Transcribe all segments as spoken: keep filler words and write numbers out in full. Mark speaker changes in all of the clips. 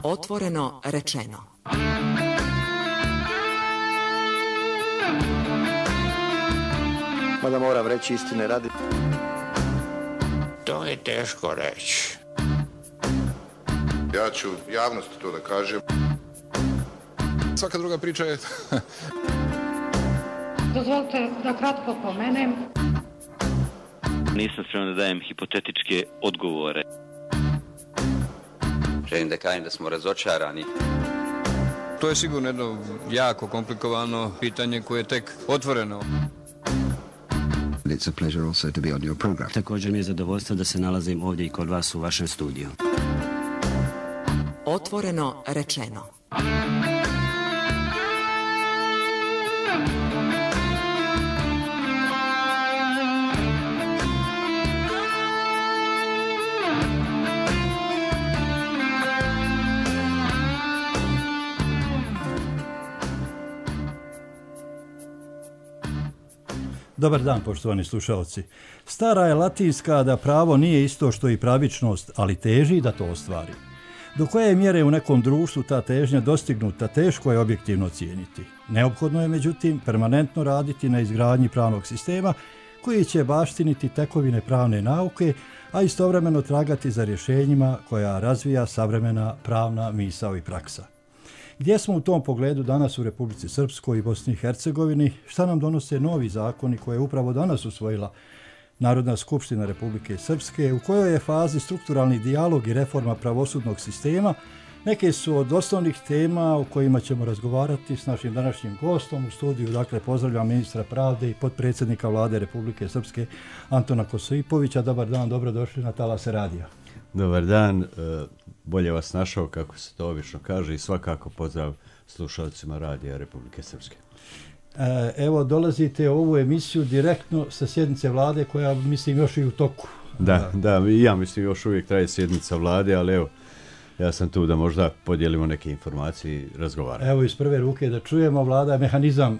Speaker 1: Otvoreno rečeno.
Speaker 2: Mada moram reći istine radi.
Speaker 3: To je teško reći.
Speaker 4: Ja ću javnosti to da kažem.
Speaker 5: Svaka druga priča je...
Speaker 6: Dozvolite da kratko pomenem.
Speaker 7: Nisam spreman da dajem hipotetičke odgovore.
Speaker 8: Želim da kažem da smo razočarani.
Speaker 5: To je sigurno jedno jako komplikovano pitanje koje je tek otvoreno.
Speaker 9: It's a pleasure also to be on your program.
Speaker 10: Također mi je zadovoljstvo da se nalazim ovdje i kod vas u vašem studiju.
Speaker 1: Otvoreno rečeno.
Speaker 11: Dobar dan, poštovani slušalci. Stara je latinska da pravo nije isto što i pravičnost, ali teži da to ostvari. Do koje mjere u nekom društvu ta težnja dostignuta, teško je objektivno ocijeniti. Neophodno je, međutim, permanentno raditi na izgradnji pravnog sistema koji će baštiniti tekovine pravne nauke, a istovremeno tragati za rješenjima koja razvija savremena pravna misao i praksa. Gdje smo u tom pogledu danas u Republici Srpskoj i Bosni i Hercegovini? Šta nam donose novi zakoni koje je upravo danas usvojila Narodna skupština Republike Srpske? U kojoj je fazi strukturalni dijalog i reforma pravosudnog sistema? Neke su od osnovnih tema o kojima ćemo razgovarati s našim današnjim gostom u studiju. Dakle, pozdravljam ministra pravde i potpredsjednika Vlade Republike Srpske Antona Kosipovića. Dobar dan, dobrodošli na Talase radija.
Speaker 12: Dobar dan, bolje vas našao, kako se to obično kaže, i svakako pozdrav slušalcima radija Republike Srpske.
Speaker 11: Evo, dolazite u ovu emisiju direktno sa sjednice vlade koja, mislim, još i u toku.
Speaker 12: Da, da, i ja mislim još uvijek traje sjednica vlade, ali evo, ja sam tu da možda podijelimo neke informacije i razgovaramo.
Speaker 11: Evo, iz prve ruke da čujemo, vlada je mehanizam uh,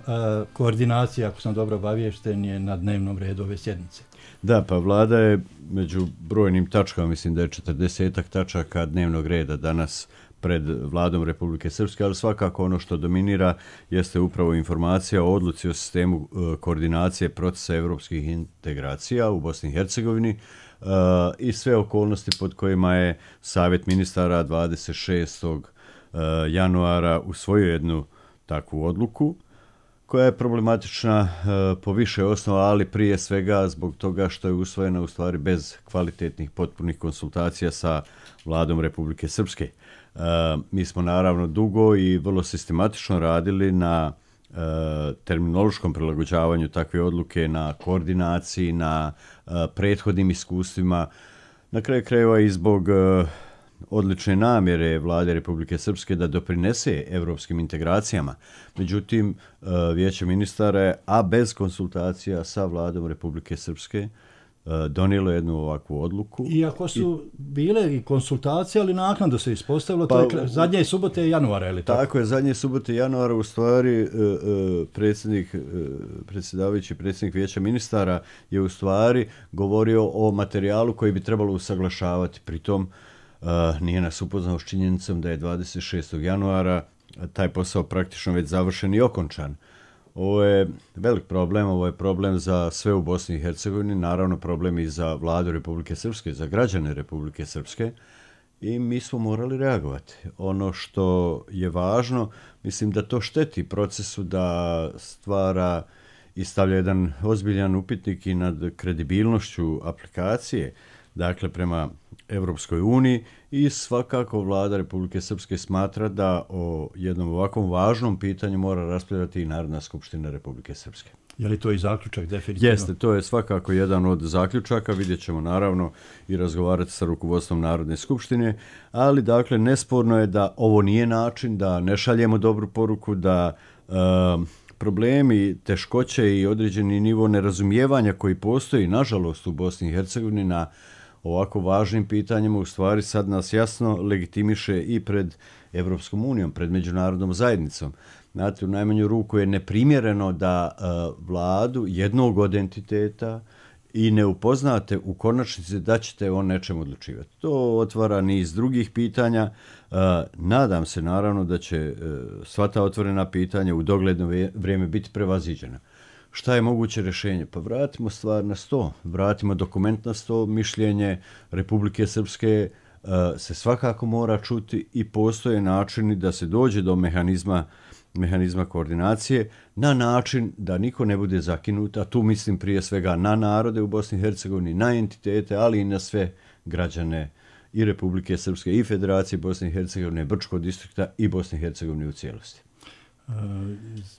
Speaker 11: koordinacije, ako sam dobro obaviješten, je na dnevnom redu ove sjednice.
Speaker 12: Da, pa vlada je među brojnim tačkama, mislim da je četrdesetak tačaka dnevnog reda danas pred Vladom Republike Srpske, ali svakako ono što dominira jeste upravo informacija o odluci o sistemu uh, koordinacije procesa evropskih integracija u Bosni i Hercegovini uh, i sve okolnosti pod kojima je Savjet ministara dvadeset šestog januara usvojio jednu takvu odluku koja je problematična uh, po više osnova, ali prije svega zbog toga što je usvojena u stvari bez kvalitetnih potpunih konsultacija sa Vladom Republike Srpske. Uh, mi smo naravno dugo i vrlo sistematično radili na uh, terminološkom prilagođavanju takve odluke, na koordinaciji, na uh, prethodnim iskustvima, na kraju krajeva i zbog uh, odlične namjere Vlade Republike Srpske da doprinese evropskim integracijama. Međutim, uh, Vijeće ministara je, a bez konsultacija sa Vladom Republike Srpske, donijelo jednu ovakvu odluku.
Speaker 11: Iako su I, bile i konsultacije, ali naknadno se ispostavilo, pa, to je zadnje subote januara, ili tako?
Speaker 12: Tako je, zadnje subote januara u stvari uh, uh, predsjednik, uh, predsjedavajući predsjednik Vijeća ministara je u stvari govorio o materijalu koji bi trebalo usaglašavati. Pritom uh, nije nas upoznao s činjenicom da je dvadeset šestog januara taj posao praktično već završen i okončan. Ovo je velik problem, ovo je problem za sve u Bosni i Hercegovini, naravno problem i za Vladu Republike Srpske, za građane Republike Srpske, i mi smo morali reagovati. Ono što je važno, mislim da to šteti procesu, da stvara i stavlja jedan ozbiljan upitnik i nad kredibilnošću aplikacije, dakle prema Evropskoj uniji, i svakako Vlada Republike Srpske smatra da o jednom ovakvom važnom pitanju mora raspravljati i Narodna skupština Republike Srpske.
Speaker 11: Je li to i zaključak definitivno?
Speaker 12: Jeste, to je svakako jedan od zaključaka, vidjet ćemo naravno i razgovarati sa rukovodstvom Narodne skupštine, ali dakle nesporno je da ovo nije način, da ne šaljemo dobru poruku, da uh, problemi, teškoće i određeni nivo nerazumijevanja koji postoji, nažalost, u Bosni i Hercegovini na ovako važnim pitanjima, u stvari sad nas jasno legitimiše i pred Evropskom unijom, pred međunarodnom zajednicom. Znate, u najmanju ruku je neprimjereno da uh, vladu jednog od entiteta i ne upoznate u konačnici da ćete o nečem odlučivati. To otvara niz drugih pitanja. Nadam se naravno da će sva ta otvorena pitanja u dogledno vrijeme biti prevaziđena. Šta je moguće rješenje? Pa vratimo stvar na sto, vratimo dokument na sto, mišljenje Republike Srpske se svakako mora čuti i postoje načini da se dođe do mehanizma mehanizma koordinacije na način da niko ne bude zakinut, a tu mislim prije svega na narode u Bosni i Hercegovini, na entitete, ali i na sve građane i Republike Srpske i Federacije Bosne i Hercegovine, Brčkog distrikta i Bosne i Hercegovine u cijelosti.
Speaker 11: E,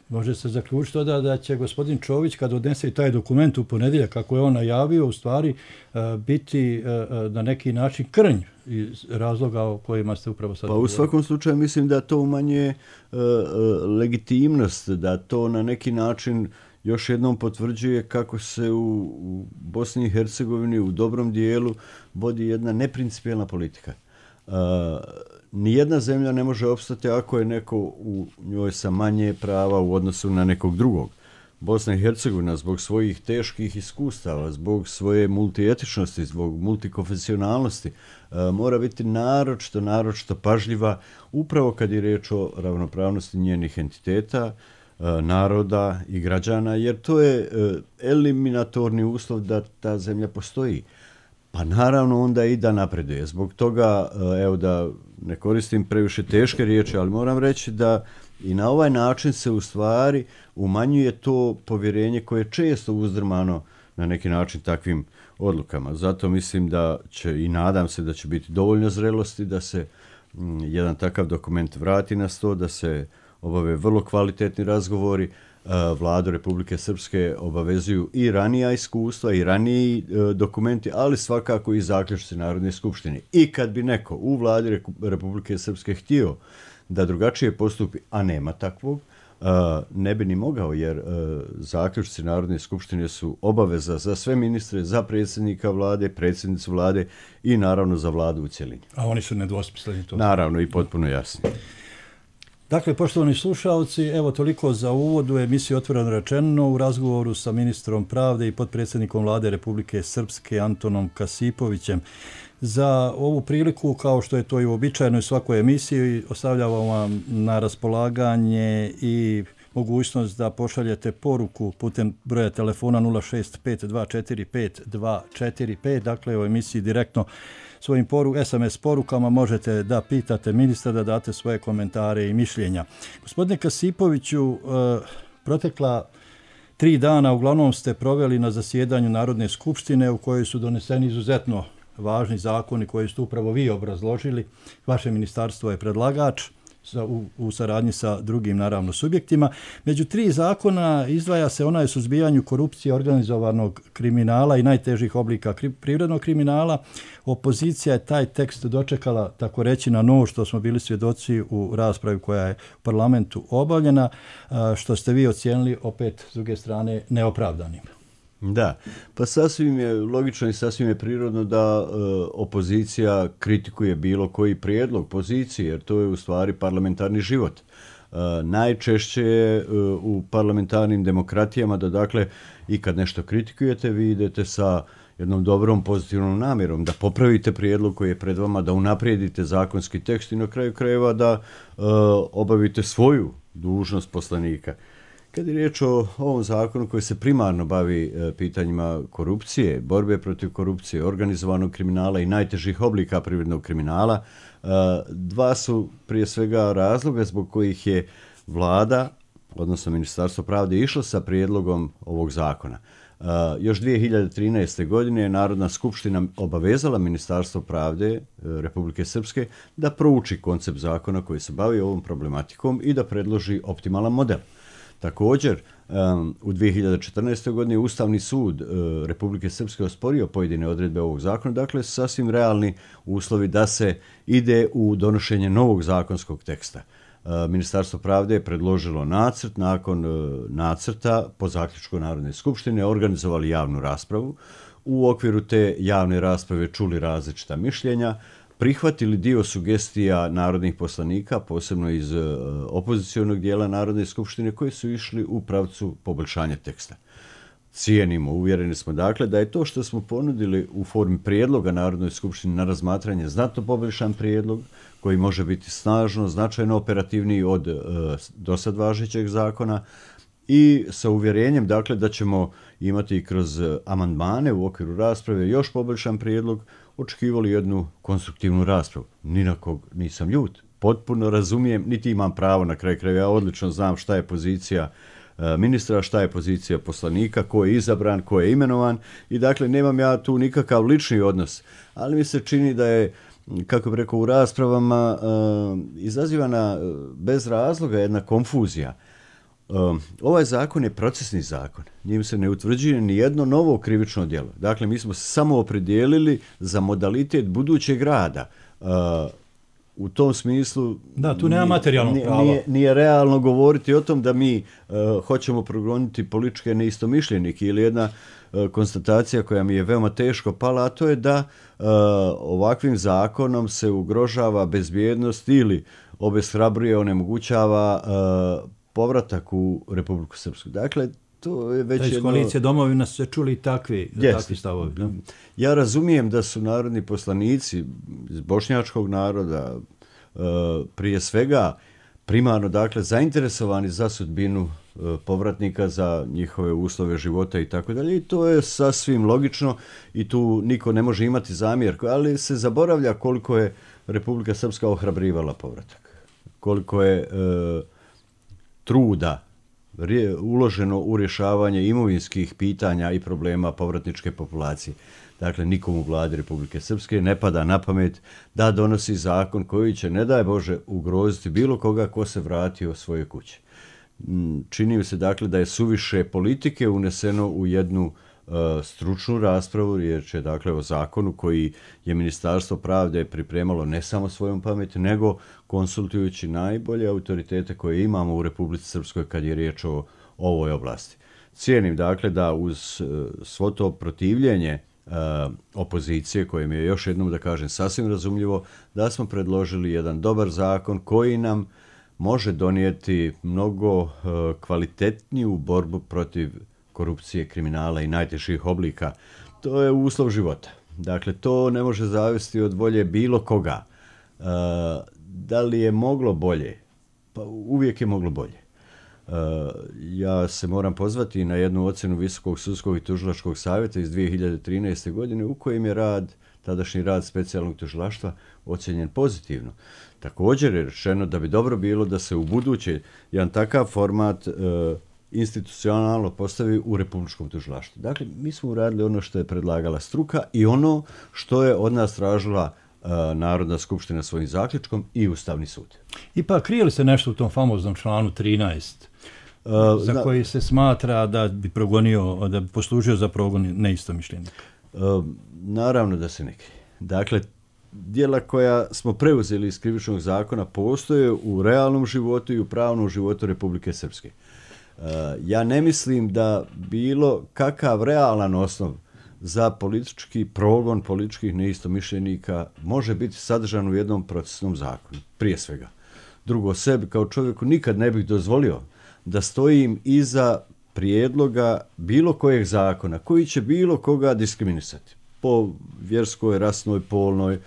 Speaker 11: može se zaključiti da, da će gospodin Čović kad odnese taj dokument u ponedjeljak, kako je on najavio, u stvari e, biti e, na neki način krnj iz razloga o kojima ste upravo sad
Speaker 12: Pa
Speaker 11: govorili.
Speaker 12: u svakom slučaju mislim da to umanjuje e, e, legitimnost, da to na neki način još jednom potvrđuje kako se u, u Bosni i Hercegovini u dobrom dijelu vodi jedna neprincipijelna politika. E, nijedna zemlja ne može opstati ako je neko u njoj sa manje prava u odnosu na nekog drugog. Bosna i Hercegovina zbog svojih teških iskustava, zbog svoje multietičnosti, zbog multikonfesionalnosti mora biti naročito, naročito pažljiva upravo kad je riječ o ravnopravnosti njenih entiteta, naroda i građana, jer to je eliminatorni uslov da ta zemlja postoji. Pa naravno onda i da napreduje. Zbog toga, evo da ne koristim previše teške riječi, ali moram reći da i na ovaj način se u stvari umanjuje to povjerenje koje je često uzdrmano na neki način takvim odlukama. Zato mislim da će i nadam se da će biti dovoljno zrelosti da se m, jedan takav dokument vrati na sto, da se obave vrlo kvalitetni razgovori. Vladu Republike Srpske obavezuju i ranija iskustva i raniji e, dokumenti, ali svakako i zaključci Narodne skupštine. I kad bi neko u Vladi Republike Srpske htio da drugačije postupi, a nema takvog, e, ne bi ni mogao, jer e, zaključci Narodne skupštine su obaveza za sve ministre, za predsjednika vlade, predsjednicu vlade i naravno za vladu u cjelini.
Speaker 11: A oni su nedvosmisleni to.
Speaker 12: Naravno i potpuno jasni.
Speaker 11: Dakle, poštovani slušalci, evo toliko za uvod u emisiju Otvoreno rečeno u razgovoru sa ministrom pravde i potpredsjednikom vlade Republike Srpske Antonom Kasipovićem. Za ovu priliku, kao što je to i uobičajeno u svakoj emisiji, ostavljamo vam na raspolaganje i mogućnost da pošaljete poruku putem broja telefona nula šest pet dva četiri pet dva četiri pet, dakle u emisiji direktno svojim poru, es em es porukama možete da pitate ministra, da date svoje komentare i mišljenja. Gospodine Kasipoviću, eh, protekla tri dana uglavnom ste proveli na zasjedanju Narodne skupštine u kojoj su doneseni izuzetno važni zakoni koji ste upravo vi obrazložili. Vaše ministarstvo je predlagač u, u saradnji sa drugim naravno subjektima. Među tri zakona izdvaja se onaj o suzbijanju korupcije, organizovanog kriminala i najtežih oblika kri, privrednog kriminala. Opozicija je taj tekst dočekala, tako reći, na nož, što smo bili svjedoci u raspravi koja je u parlamentu obavljena, što ste vi ocijenili opet s druge strane neopravdanim.
Speaker 12: Da, pa sasvim je logično i sasvim je prirodno da e, opozicija kritikuje bilo koji prijedlog pozicije, jer to je u stvari parlamentarni život. E, najčešće je e, u parlamentarnim demokratijama da dakle i kad nešto kritikujete vi idete sa jednom dobrom pozitivnom namjerom da popravite prijedlog koji je pred vama, da unaprijedite zakonski tekst i na kraju krajeva da e, obavite svoju dužnost poslanika. Kad je riječ o ovom zakonu koji se primarno bavi e, pitanjima korupcije, borbe protiv korupcije, organizovanog kriminala i najtežih oblika privrednog kriminala, e, dva su prije svega razloga zbog kojih je vlada, odnosno Ministarstvo pravde, išlo sa prijedlogom ovog zakona. E, još dvije hiljade trinaeste. godine je Narodna skupština obavezala Ministarstvo pravde e, Republike Srpske da prouči koncept zakona koji se bavi ovom problematikom i da predloži optimalan model. Također, um, u dvije hiljade četrnaestoj. godini Ustavni sud uh, Republike Srpske osporio pojedine odredbe ovog zakona, dakle sasvim realni uslovi da se ide u donošenje novog zakonskog teksta. Uh, Ministarstvo pravde je predložilo nacrt, nakon uh, nacrta po zaključku Narodne skupštine organizovali javnu raspravu. U okviru te javne rasprave čuli različita mišljenja, prihvatili dio sugestija narodnih poslanika, posebno iz uh, opozicionog dijela Narodne skupštine, koji su išli u pravcu poboljšanja teksta. cijenimo, uvjereni smo dakle da je to što smo ponudili u formi prijedloga Narodnoj skupštini na razmatranje znatno poboljšan prijedlog koji može biti snažno, značajno operativniji od e, dosad važećeg zakona i sa uvjerenjem dakle da ćemo imati kroz amandmane u okviru rasprave još poboljšan prijedlog, očekivali jednu konstruktivnu raspravu. Ni na kog nisam ljut, potpuno razumijem, niti imam pravo na kraju krajeva, ja odlično znam šta je pozicija ministra, šta je pozicija poslanika, ko je izabran, ko je imenovan i dakle nemam ja tu nikakav lični odnos, ali mi se čini da je, kako bih rekao, u raspravama uh, izazivana bez razloga jedna konfuzija. Uh, ovaj zakon je procesni zakon, njim se ne utvrđuje ni jedno novo krivično djelo. Dakle, mi smo se samo opredijelili za modalitet budućeg rada. Uh, U tom smislu
Speaker 11: da, tu nema materijalnog prava.
Speaker 12: Nije, nije realno govoriti o tom da mi uh, hoćemo progoniti političke neistomišljenike ili jedna uh, konstatacija koja mi je veoma teško pala, a to je da uh, ovakvim zakonom se ugrožava bezbjednost ili obeshrabruje, onemogućava uh, povratak u Republiku Srpsku. Dakle, to je već
Speaker 11: iz
Speaker 12: jedno...
Speaker 11: koalicije domovina se čuli takvi, takvi stavovi. No?
Speaker 12: Ja razumijem da su narodni poslanici iz bošnjačkog naroda uh, prije svega primarno dakle zainteresovani za sudbinu uh, povratnika, za njihove uslove života i tako dalje. I to je sasvim logično i tu niko ne može imati zamjerku, ali se zaboravlja koliko je Republika Srpska ohrabrivala povratak. Koliko je uh, truda uloženo u rješavanje imovinskih pitanja i problema povratničke populacije. Dakle, nikom u vladi Republike Srpske ne pada na pamet da donosi zakon koji će, ne daj Bože, ugroziti bilo koga ko se vratio svoje kuće. Čini mi se, dakle, da je suviše politike uneseno u jednu uh, stručnu raspravu, riječ je, dakle, o zakonu koji je Ministarstvo pravde pripremalo ne samo svojom pameti, nego konsultujući najbolje autoritete koje imamo u Republici Srpskoj kad je riječ o ovoj oblasti. Cijenim, dakle, da uz uh, svo to protivljenje uh, opozicije, koje mi je još jednom, da kažem, sasvim razumljivo, da smo predložili jedan dobar zakon koji nam može donijeti mnogo uh, kvalitetniju borbu protiv korupcije, kriminala i najtežih oblika. To je uslov života. Dakle, to ne može zavisiti od volje bilo koga. Uh, da li je moglo bolje? Pa uvijek je moglo bolje. Uh, ja se moram pozvati na jednu ocjenu Visokog sudskog i tužilačkog savjeta iz dvije hiljade trinaeste. godine u kojem je rad, tadašnji rad specijalnog tužilaštva ocjenjen pozitivno. Također je rečeno da bi dobro bilo da se u buduće jedan takav format uh, institucionalno postavi u Republičkom tužilaštvu. Dakle, mi smo uradili ono što je predlagala struka i ono što je od nas tražila uh, Narodna skupština svojim zaključkom i Ustavni sud.
Speaker 11: Ipak krije li se nešto u tom famoznom članu trinaest uh, za zna... koji se smatra da bi progonio, da bi poslužio za progon neistomišljenika?
Speaker 12: Uh, naravno da se ne krije. Dakle, djela koja smo preuzeli iz krivičnog zakona postoje u realnom životu i u pravnom životu Republike Srpske. Uh, ja ne mislim da bilo kakav realan osnov za politički progon političkih neistomišljenika može biti sadržan u jednom procesnom zakonu, prije svega. Drugo, sebi kao čovjeku nikad ne bih dozvolio da stojim iza prijedloga bilo kojeg zakona koji će bilo koga diskriminisati po vjerskoj, rasnoj, polnoj,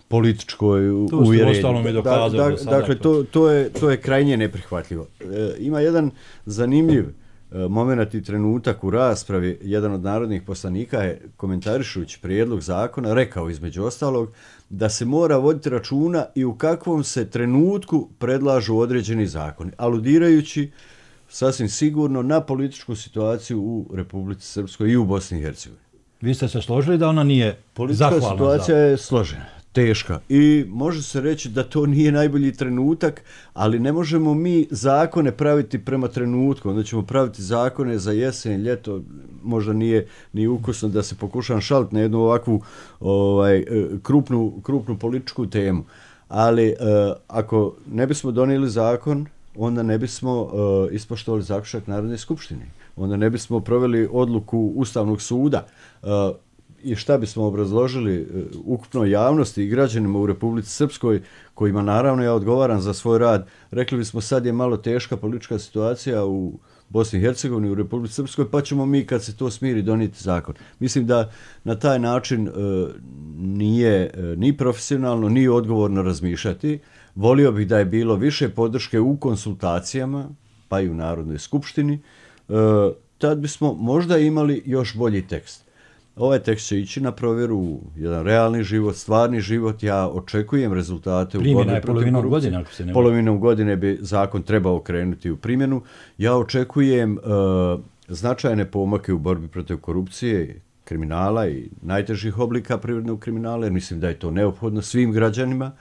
Speaker 12: političkoj uvjerenju. Da, da, dakle, to, to, je, to je krajnje neprihvatljivo. E, ima jedan zanimljiv e, moment i trenutak u raspravi. Jedan od narodnih poslanika je, komentarišući prijedlog zakona, rekao između ostalog da se mora voditi računa i u kakvom se trenutku predlažu određeni zakoni, aludirajući sasvim sigurno na političku situaciju u Republici Srpskoj i u Bosni i Hercegovini.
Speaker 11: Vi ste se složili da ona nije
Speaker 12: politička
Speaker 11: zahvalna?
Speaker 12: Politička situacija
Speaker 11: za...
Speaker 12: je složena, teška i može se reći da to nije najbolji trenutak, ali ne možemo mi zakone praviti prema trenutku. Onda ćemo praviti zakone za jesen, ljeto, možda nije ni ukusno da se pokušam šaliti na jednu ovakvu ovaj, krupnu, krupnu političku temu. Ali eh, ako ne bismo donijeli zakon, onda ne bismo uh, ispoštovali zaključak Narodne skupštine. Onda ne bismo proveli odluku Ustavnog suda. Uh, I šta bismo obrazložili uh, ukupnoj javnosti i građanima u Republici Srpskoj, kojima naravno ja odgovaram za svoj rad, rekli bismo sad je malo teška politička situacija u Bosni i Hercegovini, u Republici Srpskoj, pa ćemo mi kad se to smiri donijeti zakon. Mislim da na taj način e, nije e, ni profesionalno, ni odgovorno razmišljati. Volio bih da je bilo više podrške u konsultacijama, pa i u Narodnoj skupštini, e, tad bismo možda imali još bolji tekst. Ovaj tekst će ići na provjeru u jedan realni život, stvarni život. Ja očekujem rezultate u
Speaker 11: Primjena
Speaker 12: borbi
Speaker 11: je
Speaker 12: protiv
Speaker 11: polovinom
Speaker 12: korupcije.
Speaker 11: godine, ako se ne
Speaker 12: Polovinom godine bi zakon trebao krenuti u primjenu. Ja očekujem uh, značajne pomake u borbi protiv korupcije, kriminala i najtežih oblika privrednog kriminala, jer mislim da je to neophodno svim građanima.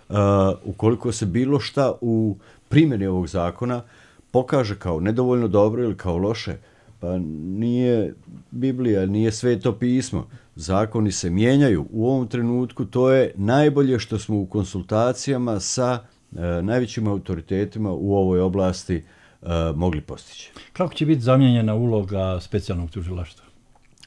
Speaker 12: Uh, ukoliko se bilo šta u primjeni ovog zakona pokaže kao nedovoljno dobro ili kao loše, pa nije Biblija, nije Sveto pismo. Zakoni se mijenjaju. U ovom trenutku to je najbolje što smo u konsultacijama sa e, najvećim autoritetima u ovoj oblasti e, mogli postići.
Speaker 11: Kako će biti zamijenjena uloga specijalnog tužilaštva?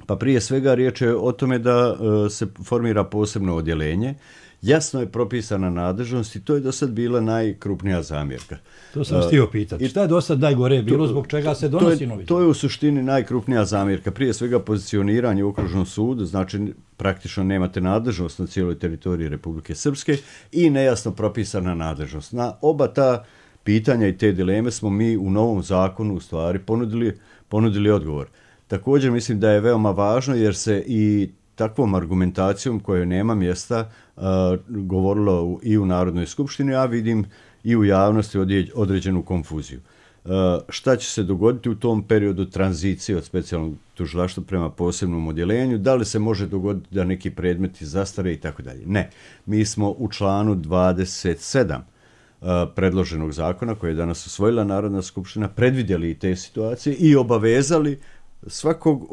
Speaker 12: Pa prije svega riječ je o tome da e, se formira posebno odjeljenje. Jasno je propisana nadležnost i to je do sad bila najkrupnija zamjerka.
Speaker 11: To sam uh, htio pitati. Šta je do sad najgore bilo, zbog čega se donosi
Speaker 12: to je,
Speaker 11: novi zakon?
Speaker 12: To je u suštini najkrupnija zamjerka. Prije svega pozicioniranje u okružnom sudu, znači praktično nemate nadležnost na cijeloj teritoriji Republike Srpske i nejasno propisana nadležnost. Na oba ta pitanja i te dileme smo mi u novom zakonu u stvari ponudili, ponudili odgovor. Također mislim da je veoma važno jer se i takvom argumentacijom kojoj nema mjesta uh, govorilo i u Narodnoj skupštini, a vidim i u javnosti određenu konfuziju. Uh, šta će se dogoditi u tom periodu tranzicije od specijalnog tužilaštva prema posebnom odjeljenju? Da li se može dogoditi da neki predmeti zastare i tako dalje? Ne. Mi smo u članu dvadeset sedam uh, predloženog zakona koje je danas usvojila Narodna skupština predvidjeli i te situacije i obavezali svakog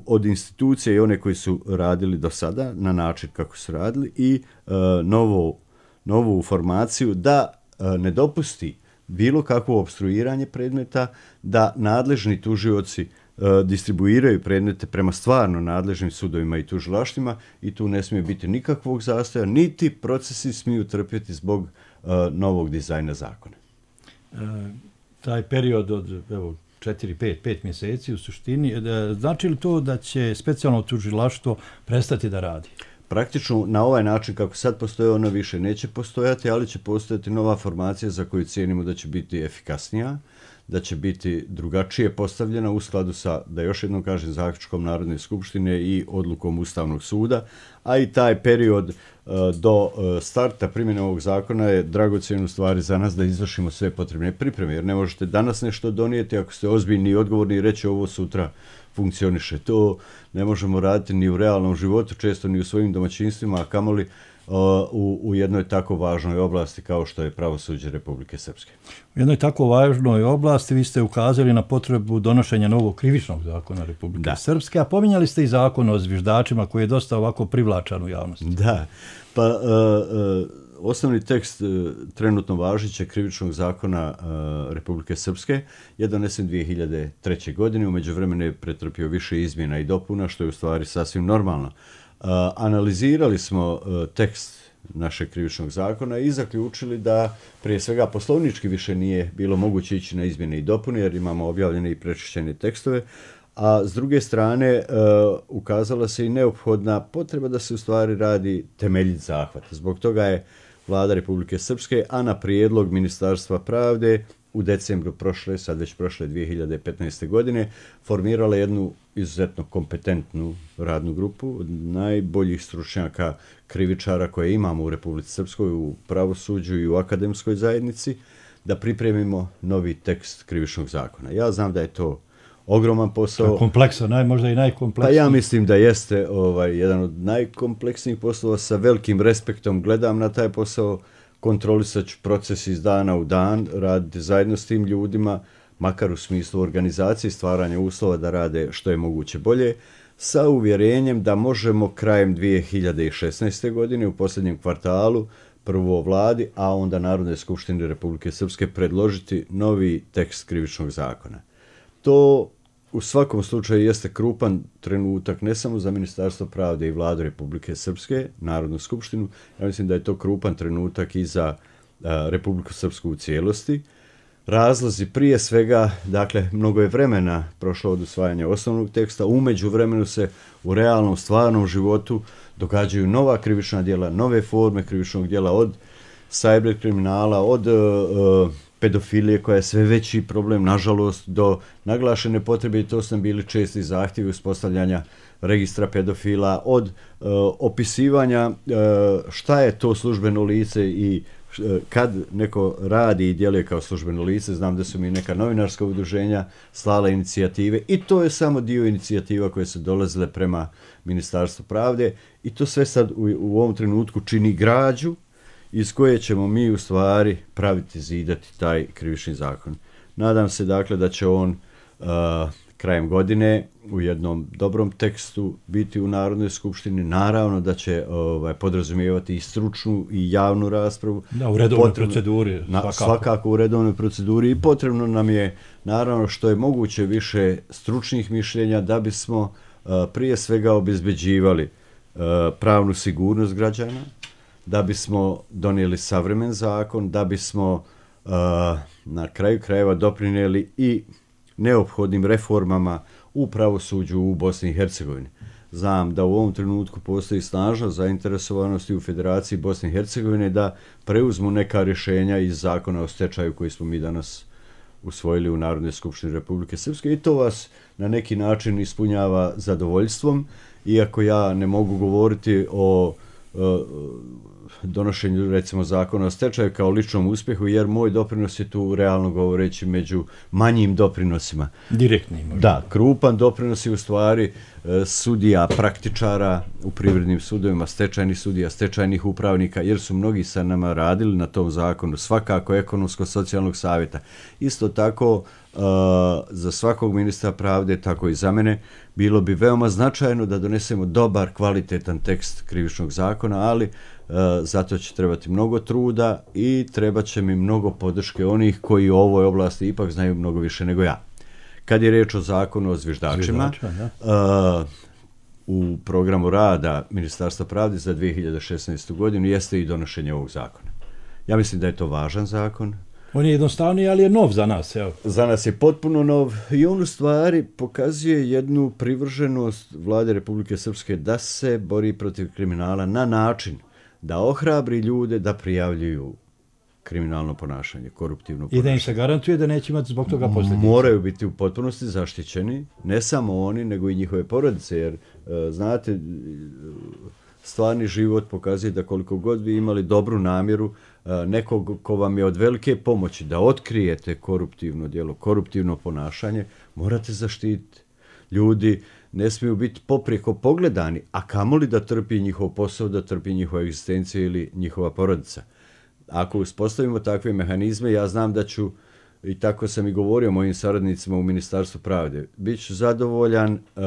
Speaker 12: od institucija i one koji su radili do sada na način kako su radili i uh, novu, novu formaciju da uh, ne dopusti bilo kakvo opstruiranje predmeta, da nadležni tužioci uh, distribuiraju predmete prema stvarno nadležnim sudovima i tužilaštvima i tu ne smije biti nikakvog zastoja, niti procesi smiju trpjeti zbog uh, novog dizajna zakona.
Speaker 11: E, taj period od evo, četiri, pet, pet mjeseci u suštini, znači li to da će specijalno tužilaštvo prestati da radi?
Speaker 12: Praktično na ovaj način kako sad postoje ono više neće postojati, ali će postojati nova formacija za koju cijenimo da će biti efikasnija, da će biti drugačije postavljena u skladu sa, da još jednom kažem, zaključkom Narodne skupštine i odlukom Ustavnog suda, a i taj period uh, do uh, starta primjene ovog zakona je dragocjen u stvari za nas da izvršimo sve potrebne pripreme, jer ne možete danas nešto donijeti ako ste ozbiljni i odgovorni i reći ovo sutra funkcioniše. To ne možemo raditi ni u realnom životu, često ni u svojim domaćinstvima, a kamoli uh, u, u jednoj tako važnoj oblasti kao što je pravosuđe Republike Srpske.
Speaker 11: U jednoj tako važnoj oblasti vi ste ukazali na potrebu donošenja novog krivičnog zakona Republike da. Srpske, a pominjali ste i zakon o zviždačima koji je dosta ovako privlačan u javnosti.
Speaker 12: Da, pa uh, uh, osnovni tekst uh, trenutno važećeg krivičnog zakona uh, Republike Srpske je donesen dvije hiljade treće. godine, u međuvremenu je pretrpio više izmjena i dopuna, što je u stvari sasvim normalno. Uh, analizirali smo uh, tekst našeg krivičnog zakona i zaključili da prije svega poslovnički više nije bilo moguće ići na izmjene i dopune jer imamo objavljene i prečišćene tekstove, a s druge strane uh, ukazala se i neophodna potreba da se u stvari radi temeljit zahvat. Zbog toga je Vlada Republike Srpske, a na prijedlog Ministarstva pravde u decembru prošle, sad već prošle dvije hiljade petnaeste. godine, formirala jednu izuzetno kompetentnu radnu grupu od najboljih stručnjaka krivičara koje imamo u Republici Srpskoj, u pravosuđu i u akademskoj zajednici, da pripremimo novi tekst krivičnog zakona. Ja znam da je to ogroman posao.
Speaker 11: Kompleksan, naj, možda i najkompleksniji.
Speaker 12: Pa ja mislim da jeste ovaj, jedan od najkompleksnijih poslova, sa velikim respektom gledam na taj posao, kontrolisat ću proces iz dana u dan, raditi zajedno s tim ljudima, makar u smislu organizacije i stvaranja uslova da rade što je moguće bolje, sa uvjerenjem da možemo krajem dvije hiljade šesnaeste. godine u posljednjem kvartalu prvo vladi, a onda Narodne skupštine Republike Srpske predložiti novi tekst krivičnog zakona. To u svakom slučaju jeste krupan trenutak ne samo za Ministarstvo pravde i Vladu Republike Srpske, Narodnu skupštinu, ja mislim da je to krupan trenutak i za a, Republiku Srpsku u cijelosti. razlozi prije svega, dakle, mnogo je vremena prošlo od usvajanja osnovnog teksta, u međuvremenu se u realnom, stvarnom životu događaju nova krivična djela, nove forme krivičnog djela, od cyber kriminala, od uh, pedofilije koja je sve veći problem, nažalost, do naglašene potrebe, i to su nam bili česti zahtjevi uspostavljanja registra pedofila, od uh, opisivanja uh, šta je to službeno lice i kad neko radi i djeluje kao službeno lice. Znam da su mi neka novinarska udruženja slala inicijative i to je samo dio inicijativa koje su dolazile prema Ministarstvu pravde i to sve sad u, u ovom trenutku čini građu iz koje ćemo mi u stvari praviti, zidati taj krivični zakon. Nadam se dakle da će on uh, krajem godine u jednom dobrom tekstu biti u Narodnoj skupštini. Naravno da će ovaj, podrazumijevati i stručnu i javnu raspravu.
Speaker 11: Da, u redovnoj
Speaker 12: potrebno,
Speaker 11: proceduri. Svakako.
Speaker 12: Na, svakako u redovnoj proceduri i potrebno nam je naravno što je moguće više stručnih mišljenja da bismo uh, prije svega obezbeđivali uh, pravnu sigurnost građana, da bismo donijeli savremen zakon, da bismo uh, na kraju krajeva doprinijeli i neophodnim reformama u pravosuđu u Bosni i Hercegovini. Znam da u ovom trenutku postoji snažna zainteresovanost i u Federaciji Bosne i Hercegovine da preuzmu neka rješenja iz zakona o stečaju koji smo mi danas usvojili u Narodnoj skupštini Republike Srpske i to vas na neki način ispunjava zadovoljstvom, iako ja ne mogu govoriti o donošenju recimo zakona o stečaju kao ličnom uspjehu, jer moj doprinos je tu realno govoreći među manjim doprinosima.
Speaker 11: Direktni možda.
Speaker 12: Da, krupan doprinos je u stvari sudija, praktičara u privrednim sudovima, stečajnih sudija, stečajnih upravnika, jer su mnogi sa nama radili na tom zakonu, svakako ekonomsko-socijalnog savjeta. Isto tako uh, za svakog ministra pravde, tako i za mene, bilo bi veoma značajno da donesemo dobar, kvalitetan tekst krivičnog zakona, ali uh, zato će trebati mnogo truda i treba će mi mnogo podrške onih koji u ovoj oblasti ipak znaju mnogo više nego ja. Kad je riječ o zakonu o zviždačima, uh, u programu rada Ministarstva pravde za dvije hiljade šesnaestu. godinu jeste i donošenje ovog zakona. Ja mislim da je to važan zakon.
Speaker 11: On je jednostavniji, ali je nov za nas. Evo.
Speaker 12: Za nas je potpuno nov i on u stvari pokazuje jednu privrženost Vlade Republike Srpske da se bori protiv kriminala na način da ohrabri ljude da prijavljuju kriminalno ponašanje, koruptivno ponašanje.
Speaker 11: I da im se garantuje da neće imati zbog toga posljedice.
Speaker 12: Moraju biti u potpunosti zaštićeni, ne samo oni, nego i njihove porodice, jer znate, stvarni život pokazuje da koliko god vi imali dobru namjeru, nekog ko vam je od velike pomoći da otkrijete koruptivno djelo, koruptivno ponašanje, morate zaštititi. Ljudi ne smiju biti poprijeko pogledani, a kamoli da trpi njihov posao, da trpi njihova egzistencija ili njihova porodica. Ako uspostavimo takve mehanizme, ja znam da ću, i tako sam i govorio mojim saradnicima u Ministarstvu pravde, bit ću zadovoljan uh,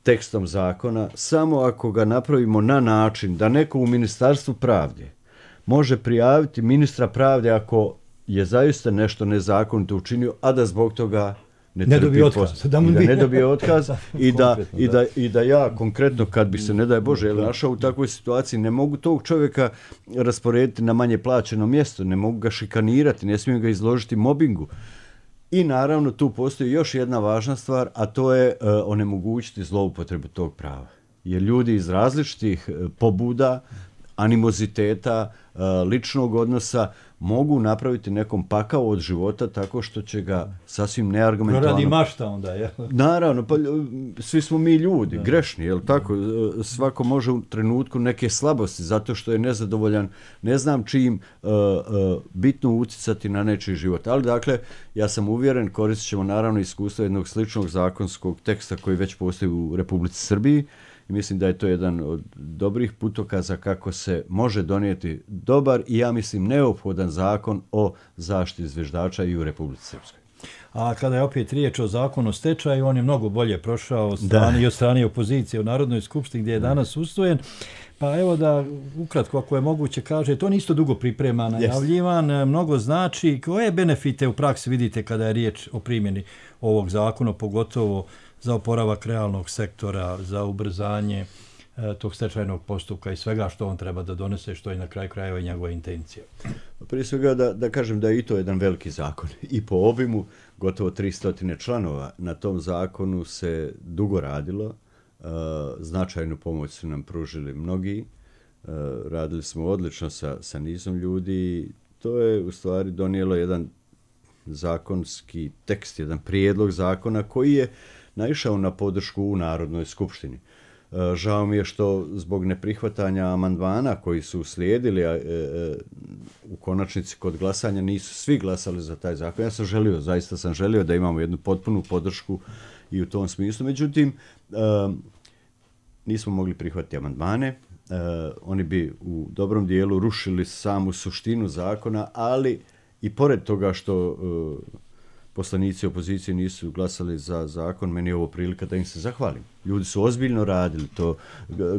Speaker 12: tekstom zakona samo ako ga napravimo na način da neko u Ministarstvu pravde može prijaviti ministra pravde ako je zaista nešto nezakonito učinio, a da zbog toga ne,
Speaker 11: ne dobije otkaz.
Speaker 12: Da, da ne dobije otkaz i, da, i, da, i da ja konkretno kad bi se, ne daj Bože, našao u takvoj situaciji, ne mogu tog čovjeka rasporediti na manje plaćeno mjesto, ne mogu ga šikanirati, ne smijem ga izložiti mobingu. I naravno tu postoji još jedna važna stvar, a to je uh, onemogućiti zloupotrebu tog prava. Jer ljudi iz različitih uh, pobuda, animoziteta, uh, ličnog odnosa mogu napraviti nekom pakao od života tako što će ga sasvim neargumentovano...
Speaker 11: Proradi mašta onda, je.
Speaker 12: Naravno, pa svi smo mi ljudi, da. grešni, jel tako? Svako može u trenutku neke slabosti zato što je nezadovoljan, ne znam čim uh, uh, bitno uticati na nečiji život. Ali dakle, ja sam uvjeren, koristit ćemo naravno iskustvo jednog sličnog zakonskog teksta koji već postoji u Republici Srbiji. I mislim da je to jedan od dobrih putokaza kako se može donijeti dobar i ja mislim neophodan zakon o zaštiti zviždača i u Republici Srpskoj.
Speaker 11: A kada je opet riječ o zakonu o stečaju, on je mnogo bolje prošao od strane, i od strane opozicije u Narodnoj skupštini gdje je danas usvojen. Pa evo da ukratko, ako je moguće, kaže, to nisto dugo priprema, najavljivan, yes. mnogo znači. Koje benefite u praksi vidite kada je riječ o primjeni ovog zakona, pogotovo za oporavak realnog sektora, za ubrzanje e, tog stečajnog postupka i svega što on treba da donese, što je na kraju krajeva i njegova intencija?
Speaker 12: Prije svega da, da kažem da je i to jedan veliki zakon. I po obimu gotovo tristo članova. Na tom zakonu se dugo radilo. Uh, značajnu pomoć su nam pružili mnogi. Uh, radili smo odlično sa, sa nizom ljudi. To je u stvari donijelo jedan zakonski tekst, jedan prijedlog zakona koji je naišao na podršku u Narodnoj skupštini. Žao mi je što zbog neprihvatanja amandmana koji su uslijedili, a, e, e, u konačnici kod glasanja nisu svi glasali za taj zakon. Ja sam želio, zaista sam želio da imamo jednu potpunu podršku i u tom smislu. Međutim, e, nismo mogli prihvatiti amandmane. E, oni bi u dobrom dijelu rušili samu suštinu zakona, ali i pored toga što e, poslanici opozicije nisu glasali za zakon, meni je ovo prilika da im se zahvalim. Ljudi su ozbiljno radili, to,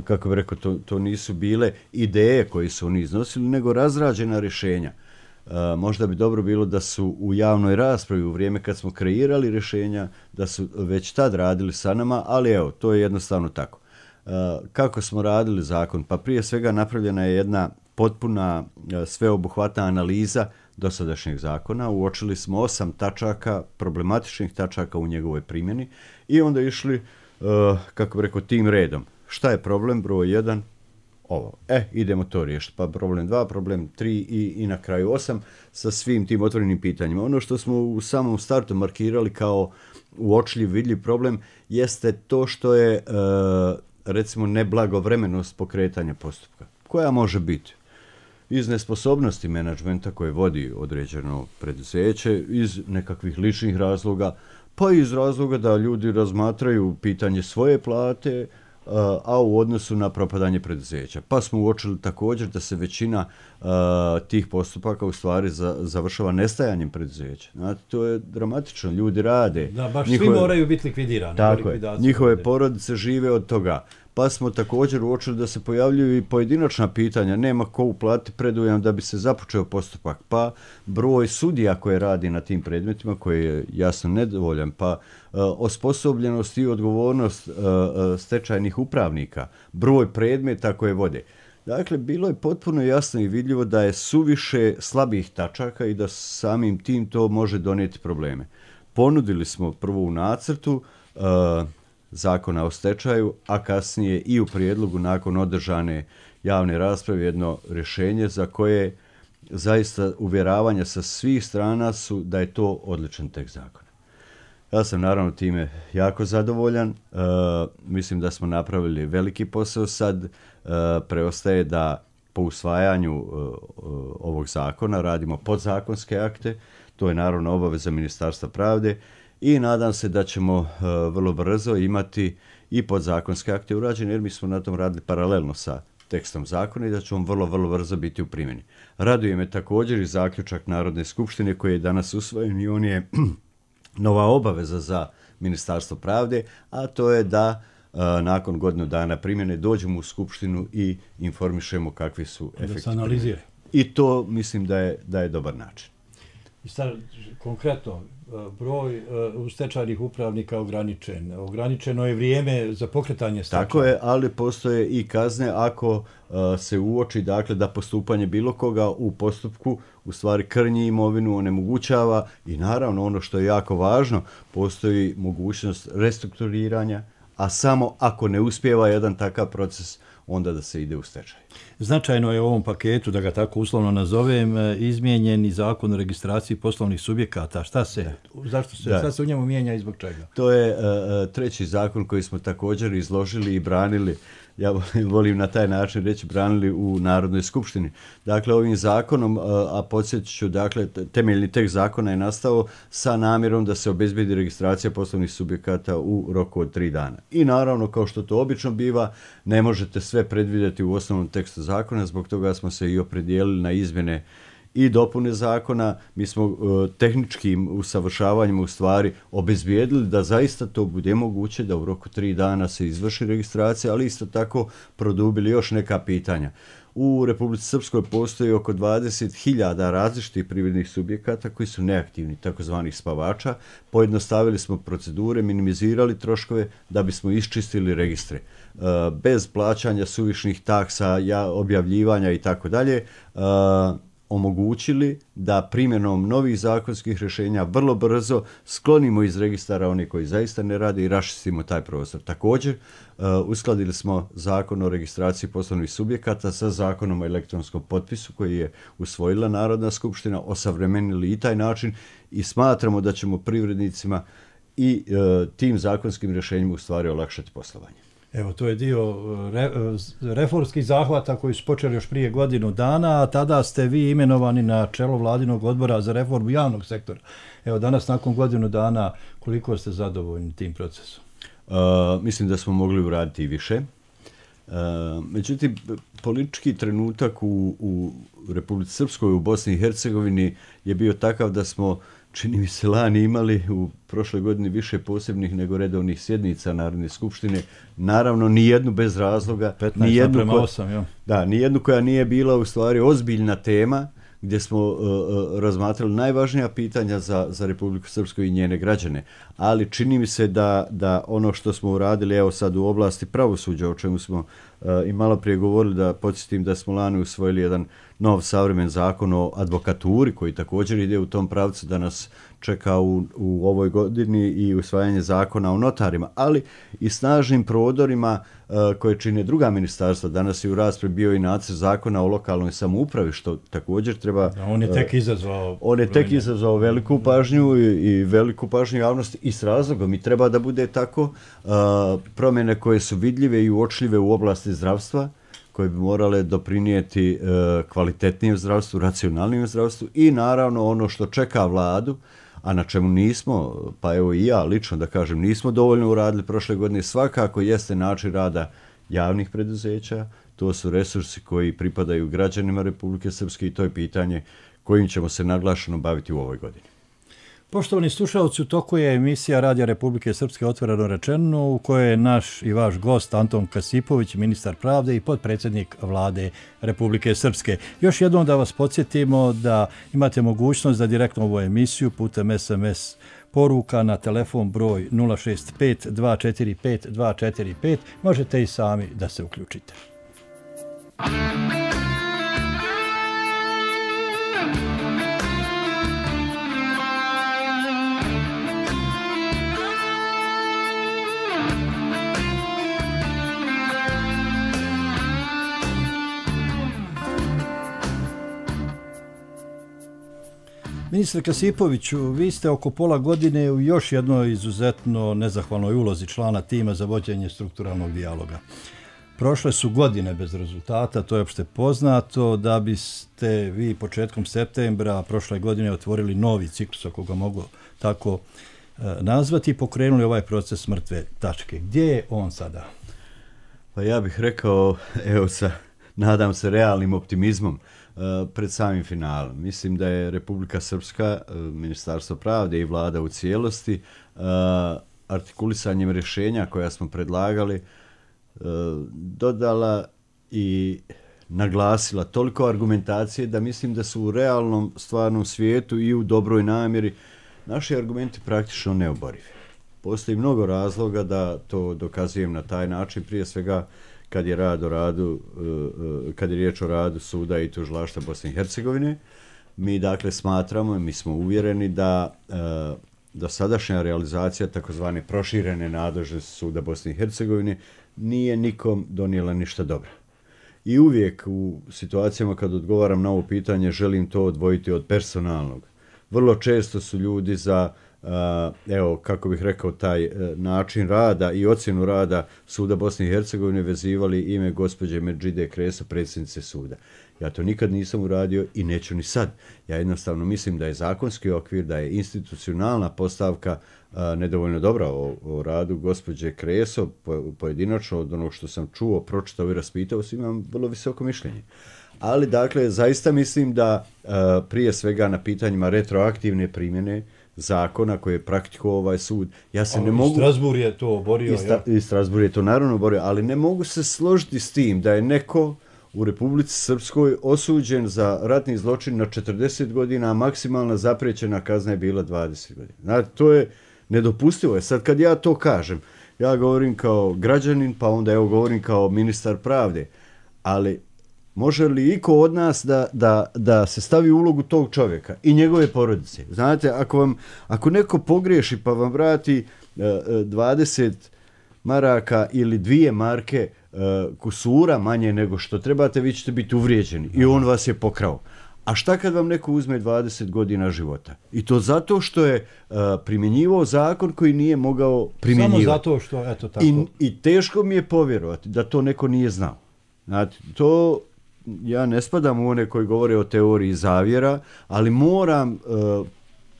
Speaker 12: kako bih rekao, to, to nisu bile ideje koje su oni iznosili, nego razrađena rješenja. E, možda bi dobro bilo da su u javnoj raspravi, u vrijeme kad smo kreirali rješenja, da su već tad radili sa nama, ali evo, to je jednostavno tako. E, kako smo radili zakon? Pa prije svega napravljena je jedna potpuna, sveobuhvatna analiza dosadašnjeg zakona. Uočili smo osam tačaka, problematičnih tačaka u njegovoj primjeni i onda išli, uh, kako bih rekao, tim redom. Šta je problem? Broj jedan, ovo. E, idemo to riješiti. Pa problem dva, problem tri i, i na kraju osam sa svim tim otvorenim pitanjima. Ono što smo u samom startu markirali kao uočljiv, vidljiv problem jeste to što je, uh, recimo, neblagovremenost pokretanja postupka. Koja može biti? Iz nesposobnosti menadžmenta koje vodi određeno preduzeće, iz nekakvih ličnih razloga, pa iz razloga da ljudi razmatraju pitanje svoje plate, a u odnosu na propadanje preduzeća. Pa smo uočili također da se većina a, tih postupaka u stvari za, završava nestajanjem preduzeća. Znate, to je dramatično, ljudi rade.
Speaker 11: Da, baš
Speaker 12: njihove,
Speaker 11: svi moraju biti likvidirani.
Speaker 12: Tako je, njihove porodice žive od toga. Pa smo također uočili da se pojavljuju i pojedinačna pitanja, nema ko uplatiti predujam da bi se započeo postupak, pa broj sudija koje radi na tim predmetima, koji je jasno nedovoljan, pa uh, osposobljenost i odgovornost uh, uh, stečajnih upravnika, broj predmeta koje vode. Dakle, bilo je potpuno jasno i vidljivo da je suviše slabih tačaka i da samim tim to može donijeti probleme. Ponudili smo prvo u nacrtu uh, zakona o stečaju, a kasnije i u prijedlogu nakon održane javne rasprave jedno rješenje za koje zaista uvjeravanja sa svih strana su da je to odličan tekst zakona. Ja sam naravno time jako zadovoljan. E, mislim da smo napravili veliki posao sad. E, preostaje da po usvajanju e, ovog zakona radimo podzakonske akte. To je naravno obaveza Ministarstva pravde. I nadam se da ćemo uh, vrlo brzo imati i podzakonske akte urađene, jer mi smo na tom radili paralelno sa tekstom zakona i da će on vrlo, vrlo brzo biti u primjeni. Raduje me također i zaključak Narodne skupštine koji je danas usvojen i on je nova obaveza za Ministarstvo pravde, a to je da uh, nakon godinu dana primjene dođemo u skupštinu i informišemo kakvi su efekti. Da se analizira. I to mislim da je, da je dobar način.
Speaker 11: I sad, konkretno, broj uh, stečajnih upravnika ograničen. Ograničeno je vrijeme za pokretanje stečaja.
Speaker 12: Tako je, ali postoje i kazne ako uh, se uoči, dakle, da postupanje bilo koga u postupku u stvari krnji imovinu, onemogućava i naravno ono što je jako važno, postoji mogućnost restrukturiranja, a samo ako ne uspijeva jedan takav proces, onda da se ide u stečaj.
Speaker 11: Značajno je u ovom paketu, da ga tako uslovno nazovem, izmijenjeni zakon o registraciji poslovnih subjekata. Šta se, zašto se, šta se u njemu mijenja i zbog čega?
Speaker 12: To je uh, treći zakon koji smo također izložili i branili, ja volim na taj način reći, branili u Narodnoj skupštini. Dakle, ovim zakonom, a podsjetit ću, dakle, temeljni tekst zakona je nastao sa namjerom da se obezbedi registracija poslovnih subjekata u roku od tri dana. I naravno, kao što to obično biva, ne možete sve predvidjeti u osnovnom tekstu zakona, zbog toga smo se i opredijelili na izmjene i dopune zakona. Mi smo uh, tehničkim usavršavanjem u stvari obezbijedili da zaista to bude moguće, da u roku tri dana se izvrši registracija, ali isto tako produbili još neka pitanja. U Republici Srpskoj postoji oko dvadeset hiljada različitih privrednih subjekata koji su neaktivni, takozvanih spavača. Pojednostavili smo procedure, minimizirali troškove da bismo iščistili registre. Uh, bez plaćanja suvišnih taksa, ja, objavljivanja i tako dalje. omogućili da primjenom novih zakonskih rješenja vrlo brzo sklonimo iz registara one koji zaista ne rade i raščistimo taj prostor. Također, uh, uskladili smo zakon o registraciji poslovnih subjekata sa zakonom o elektronskom potpisu koji je usvojila Narodna skupština, osavremenili i taj način i smatramo da ćemo privrednicima i uh, tim zakonskim rješenjima u stvari olakšati poslovanje.
Speaker 11: Evo, to je dio re, reformskih zahvata koji su počeli još prije godinu dana, a tada ste vi imenovani na čelo Vladinog odbora za reformu javnog sektora. Evo, danas nakon godinu dana, koliko ste zadovoljni tim procesom?
Speaker 12: Uh, mislim da smo mogli uraditi i više. Uh, međutim, politički trenutak u, u Republici Srpskoj, u Bosni i Hercegovini je bio takav da smo, čini mi se, lani imali u prošloj godini više posebnih nego redovnih sjednica Narodne skupštine. Naravno, nijednu bez razloga.
Speaker 11: petnaest naprema osam, jo.
Speaker 12: Da, nijednu koja nije bila u stvari ozbiljna tema, gdje smo uh, uh, razmatrali najvažnija pitanja za, za Republiku Srpsku i njene građane. Ali čini mi se da, da ono što smo uradili, evo sad u oblasti pravosuđa, o čemu smo uh, i malo prije govorili, da podsjetim da smo lani usvojili jedan nov savremen zakon o advokaturi, koji također ide u tom pravcu da nas čeka u, u ovoj godini i usvajanje zakona o notarima, ali i snažnim prodorima uh, koje čine druga ministarstva. Danas je u raspravi bio i nacrt zakona o lokalnoj samoupravi, što također treba...
Speaker 11: Da, on je tek izazvao...
Speaker 12: Uh, on je tek izazvao veliku pažnju i, i veliku pažnju javnosti i s razlogom. I treba da bude tako uh, promjene koje su vidljive i uočljive u oblasti zdravstva, koje bi morale doprinijeti uh, kvalitetnijem zdravstvu, racionalnijem zdravstvu i naravno ono što čeka vladu, a na čemu nismo, pa evo i ja lično da kažem, nismo dovoljno uradili prošle godine, svakako jeste način rada javnih preduzeća, to su resursi koji pripadaju građanima Republike Srpske i to je pitanje kojim ćemo se naglašeno baviti u ovoj godini.
Speaker 11: Poštovani slušalci, u toku je emisija Radija Republike Srpske Otvoreno rečeno, u kojoj je naš i vaš gost Anton Kasipović, ministar pravde i potpredsjednik Vlade Republike Srpske. Još jednom da vas podsjetimo da imate mogućnost da direktno ovu emisiju putem es em es poruka na telefon broj nula šest pet dva četiri pet dva četiri pet možete i sami da se uključite. Ministre Kasipoviću, vi ste oko pola godine u još jednoj izuzetno nezahvalnoj ulozi člana tima za vođenje strukturalnog dijaloga. Prošle su godine bez rezultata, to je opšte poznato, da biste vi početkom septembra prošle godine otvorili novi ciklus, ako ga mogu tako nazvati, i pokrenuli ovaj proces mrtve tačke. Gdje je on sada?
Speaker 12: Pa ja bih rekao, evo sa, nadam se, realnim optimizmom, pred samim finalom. Mislim da je Republika Srpska, Ministarstvo pravde i vlada u cijelosti artikulisanjem rješenja koja smo predlagali dodala i naglasila toliko argumentacije da mislim da su u realnom stvarnom svijetu i u dobroj namjeri naši argumenti praktično neoborivi. Postoji mnogo razloga da to dokazujem na taj način, prije svega kad je rad o radu, kad je riječ o radu suda i tužilaštva Bosne i Hercegovine. Mi dakle smatramo, mi smo uvjereni da da sadašnja realizacija takozvane proširene nadležnosti suda Bosne i Hercegovine nije nikom donijela ništa dobro. I uvijek u situacijama kad odgovaram na ovo pitanje želim to odvojiti od personalnog. Vrlo često su ljudi za Uh, evo, kako bih rekao, taj uh, način rada i ocjenu rada suda Bosne i Hercegovine vezivali ime gospođe Medžide Kreso, predsjednice suda. Ja to nikad nisam uradio i neću ni sad. Ja jednostavno mislim da je zakonski okvir, da je institucionalna postavka uh, nedovoljno dobra o, o radu gospođe Kreso, po, pojedinačno od onog što sam čuo, pročitao i raspitao, imam vrlo visoko mišljenje. Ali, dakle, zaista mislim da uh, prije svega na pitanjima retroaktivne primjene zakona koje je praktikovao ovaj sud. Ja se
Speaker 11: ali
Speaker 12: ne mogu...
Speaker 11: Strasbourg je to oborio.
Speaker 12: I, sta, i Strasbourg je to naravno oborio, ali ne mogu se složiti s tim da je neko u Republici Srpskoj osuđen za ratni zločin na četrdeset godina, a maksimalna zapriječena kazna je bila dvadeset godina. Znači, to je nedopustivo. Sad kad ja to kažem, ja govorim kao građanin, pa onda evo govorim kao ministar pravde, ali može li iko od nas da, da, da se stavi u ulogu tog čovjeka i njegove porodice? Znate, ako, vam, ako neko pogriješi pa vam vrati uh, dvadeset maraka ili dvije marke uh, kusura manje nego što trebate, vi ćete biti uvrijeđeni i on vas je pokrao. A šta kad vam neko uzme dvadeset godina života? I to zato što je uh, primjenjivao zakon koji nije mogao primjenjivati.
Speaker 11: Samo zato što, eto tako.
Speaker 12: I, I teško mi je povjerovati da to neko nije znao. Znate, to ja ne spadam u one koji govore o teoriji zavjera, ali moram uh,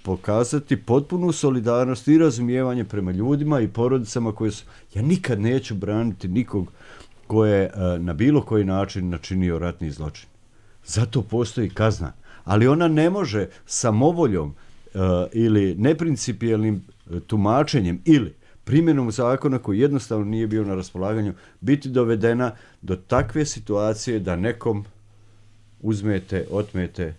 Speaker 12: pokazati potpunu solidarnost i razumijevanje prema ljudima i porodicama koje su... Ja nikad neću braniti nikog ko je uh, na bilo koji način načinio ratni zločin. Zato postoji kazna. Ali ona ne može samovoljom uh, ili neprincipijelnim uh, tumačenjem ili primjenom zakona koji jednostavno nije bio na raspolaganju biti dovedena do takve situacije da nekom uzmete, otmete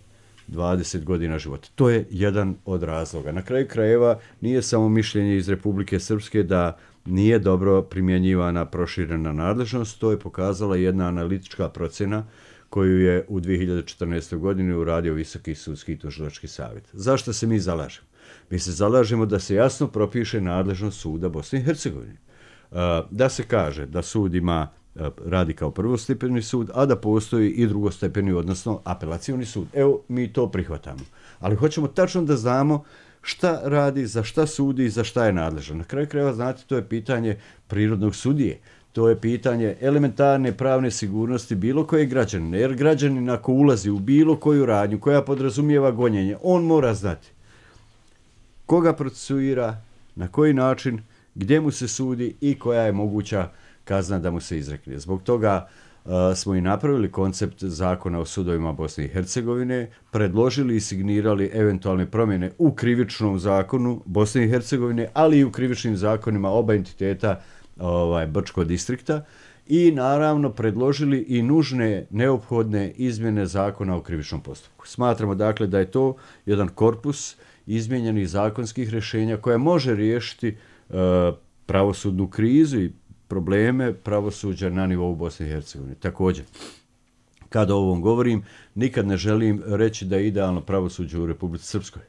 Speaker 12: dvadeset godina života. To je jedan od razloga. Na kraju krajeva nije samo mišljenje iz Republike Srpske da nije dobro primjenjivana proširena nadležnost, to je pokazala jedna analitička procjena koju je u dvije hiljade četrnaestoj. godini uradio Visoki sudski i tužilački savjet. Zašto se mi zalažemo? Mi se zalažemo da se jasno propiše nadležnost suda Bosne i Hercegovine. Da se kaže da sud ima, radi kao prvostepeni sud, a da postoji i drugostepeni, odnosno apelacioni sud. Evo, mi to prihvatamo. Ali hoćemo tačno da znamo šta radi, za šta sudi i za šta je nadležan. Na kraju krajeva, znate, to je pitanje prirodnog sudije. To je pitanje elementarne pravne sigurnosti bilo koje građanine. Jer građanin ako ulazi u bilo koju radnju koja podrazumijeva gonjenje, on mora znati koga procesuira, na koji način, gdje mu se sudi i koja je moguća kazna da mu se izrekne. Zbog toga uh, smo i napravili koncept zakona o sudovima Bosne i Hercegovine, predložili i signirali eventualne promjene u krivičnom zakonu Bosne i Hercegovine, ali i u krivičnim zakonima oba entiteta ovaj, Brčkog distrikta i naravno predložili i nužne, neophodne izmjene zakona o krivičnom postupku. Smatramo dakle da je to jedan korpus izmijenjenih zakonskih rješenja koja može riješiti e, pravosudnu krizu i probleme pravosuđa na nivou Bosne i Hercegovine. Također, kada o ovom govorim, nikad ne želim reći da je idealno pravosuđe u Republici Srpskoj.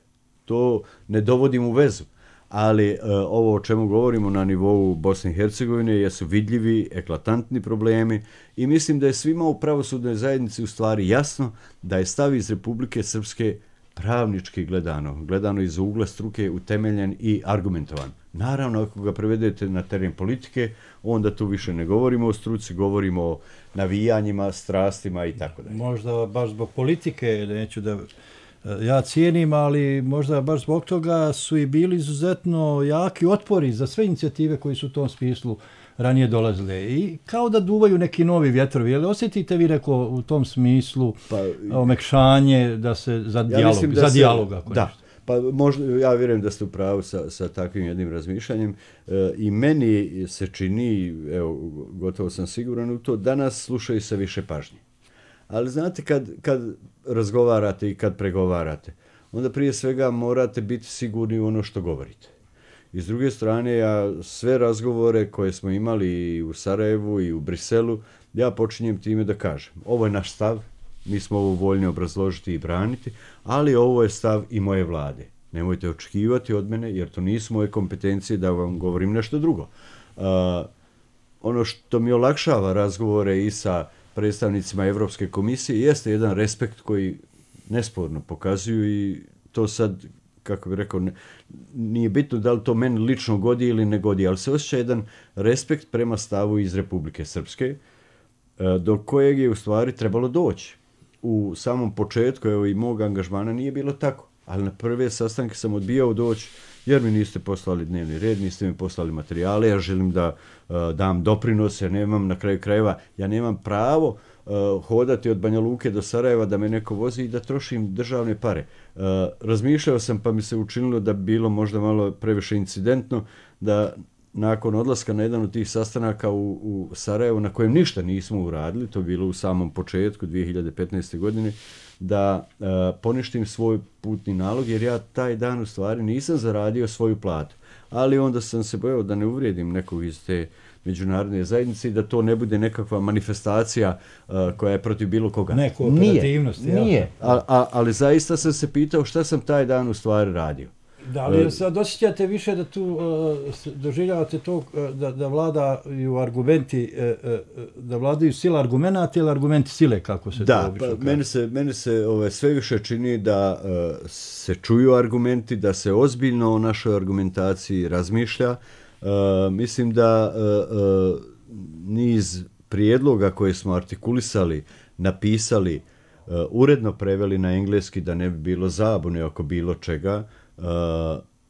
Speaker 12: To ne dovodim u vezu, ali e, ovo o čemu govorimo na nivou Bosne i Hercegovine jesu vidljivi, eklatantni problemi i mislim da je svima u pravosudnoj zajednici u stvari jasno da je stav iz Republike Srpske pravnički gledano, gledano iz ugla struke, utemeljen i argumentovan. Naravno, ako ga prevedete na teren politike, onda tu više ne govorimo o struci, govorimo o navijanjima, strastima i tako dalje.
Speaker 11: Možda baš zbog politike, neću da ja cijenim, ali možda baš zbog toga su i bili izuzetno jaki otpori za sve inicijative koji su u tom smislu ranije dolazile. I kao da duvaju neki novi vjetrovi. Jel osjetite vi neko u tom smislu pa, omekšanje da se za dijalog, ja za dijalog ako
Speaker 12: da.
Speaker 11: nešto?
Speaker 12: Pa možda, ja vjerujem da ste u pravu sa, sa takvim jednim razmišljanjem e, i meni se čini, evo, gotovo sam siguran u to, danas slušaju se više pažnje. Ali znate, kad, kad razgovarate i kad pregovarate, onda prije svega morate biti sigurni u ono što govorite. I s druge strane, ja sve razgovore koje smo imali i u Sarajevu i u Briselu, ja počinjem time da kažem, ovo je naš stav, mi smo ovo voljni obrazložiti i braniti, ali ovo je stav i moje vlade. Nemojte očekivati od mene, jer to nisu moje kompetencije da vam govorim nešto drugo. Uh, ono što mi olakšava razgovore i sa predstavnicima Evropske komisije jeste jedan respekt koji nesporno pokazuju i to sad, kako bih rekao, ne, nije bitno da li to meni lično godi ili ne godi, ali se osjeća jedan respekt prema stavu iz Republike Srpske, do kojeg je u stvari trebalo doći. U samom početku, evo i mog angažmana nije bilo tako, ali na prve sastanke sam odbijao doći jer mi niste poslali dnevni red, niste mi poslali materijale, ja želim da uh, dam doprinose, nemam na kraju krajeva, ja nemam pravo uh, hodati od Banja Luke do Sarajeva da me neko vozi i da trošim državne pare. Uh, razmišljao sam pa mi se učinilo da bi bilo možda malo previše incidentno da nakon odlaska na jedan od tih sastanaka u, u Sarajevu, na kojem ništa nismo uradili, to je bilo u samom početku dvije hiljade petnaeste. godine, da uh, poništim svoj putni nalog, jer ja taj dan u stvari nisam zaradio svoju platu. Ali onda sam se bojao da ne uvrijedim nekog iz te međunarodne zajednice i da to ne bude nekakva manifestacija uh, koja je protiv bilo koga.
Speaker 11: Ne, kooperativnost.
Speaker 12: Nije, nije. A, a, ali zaista sam se pitao šta sam taj dan u stvari radio.
Speaker 11: Da li sad osjećate više da tu uh, doživljavate to uh, da, da vladaju argumenti, uh, uh, da vladaju sila argumenata ili argumenti sile, kako se
Speaker 12: da,
Speaker 11: to obično
Speaker 12: kaže? Da, meni se, meni se ove, sve više čini da uh, se čuju argumenti, da se ozbiljno o našoj argumentaciji razmišlja. Uh, mislim da uh, uh, niz prijedloga koje smo artikulisali, napisali, uh, uredno preveli na engleski da ne bi bilo zabune oko bilo čega, Uh,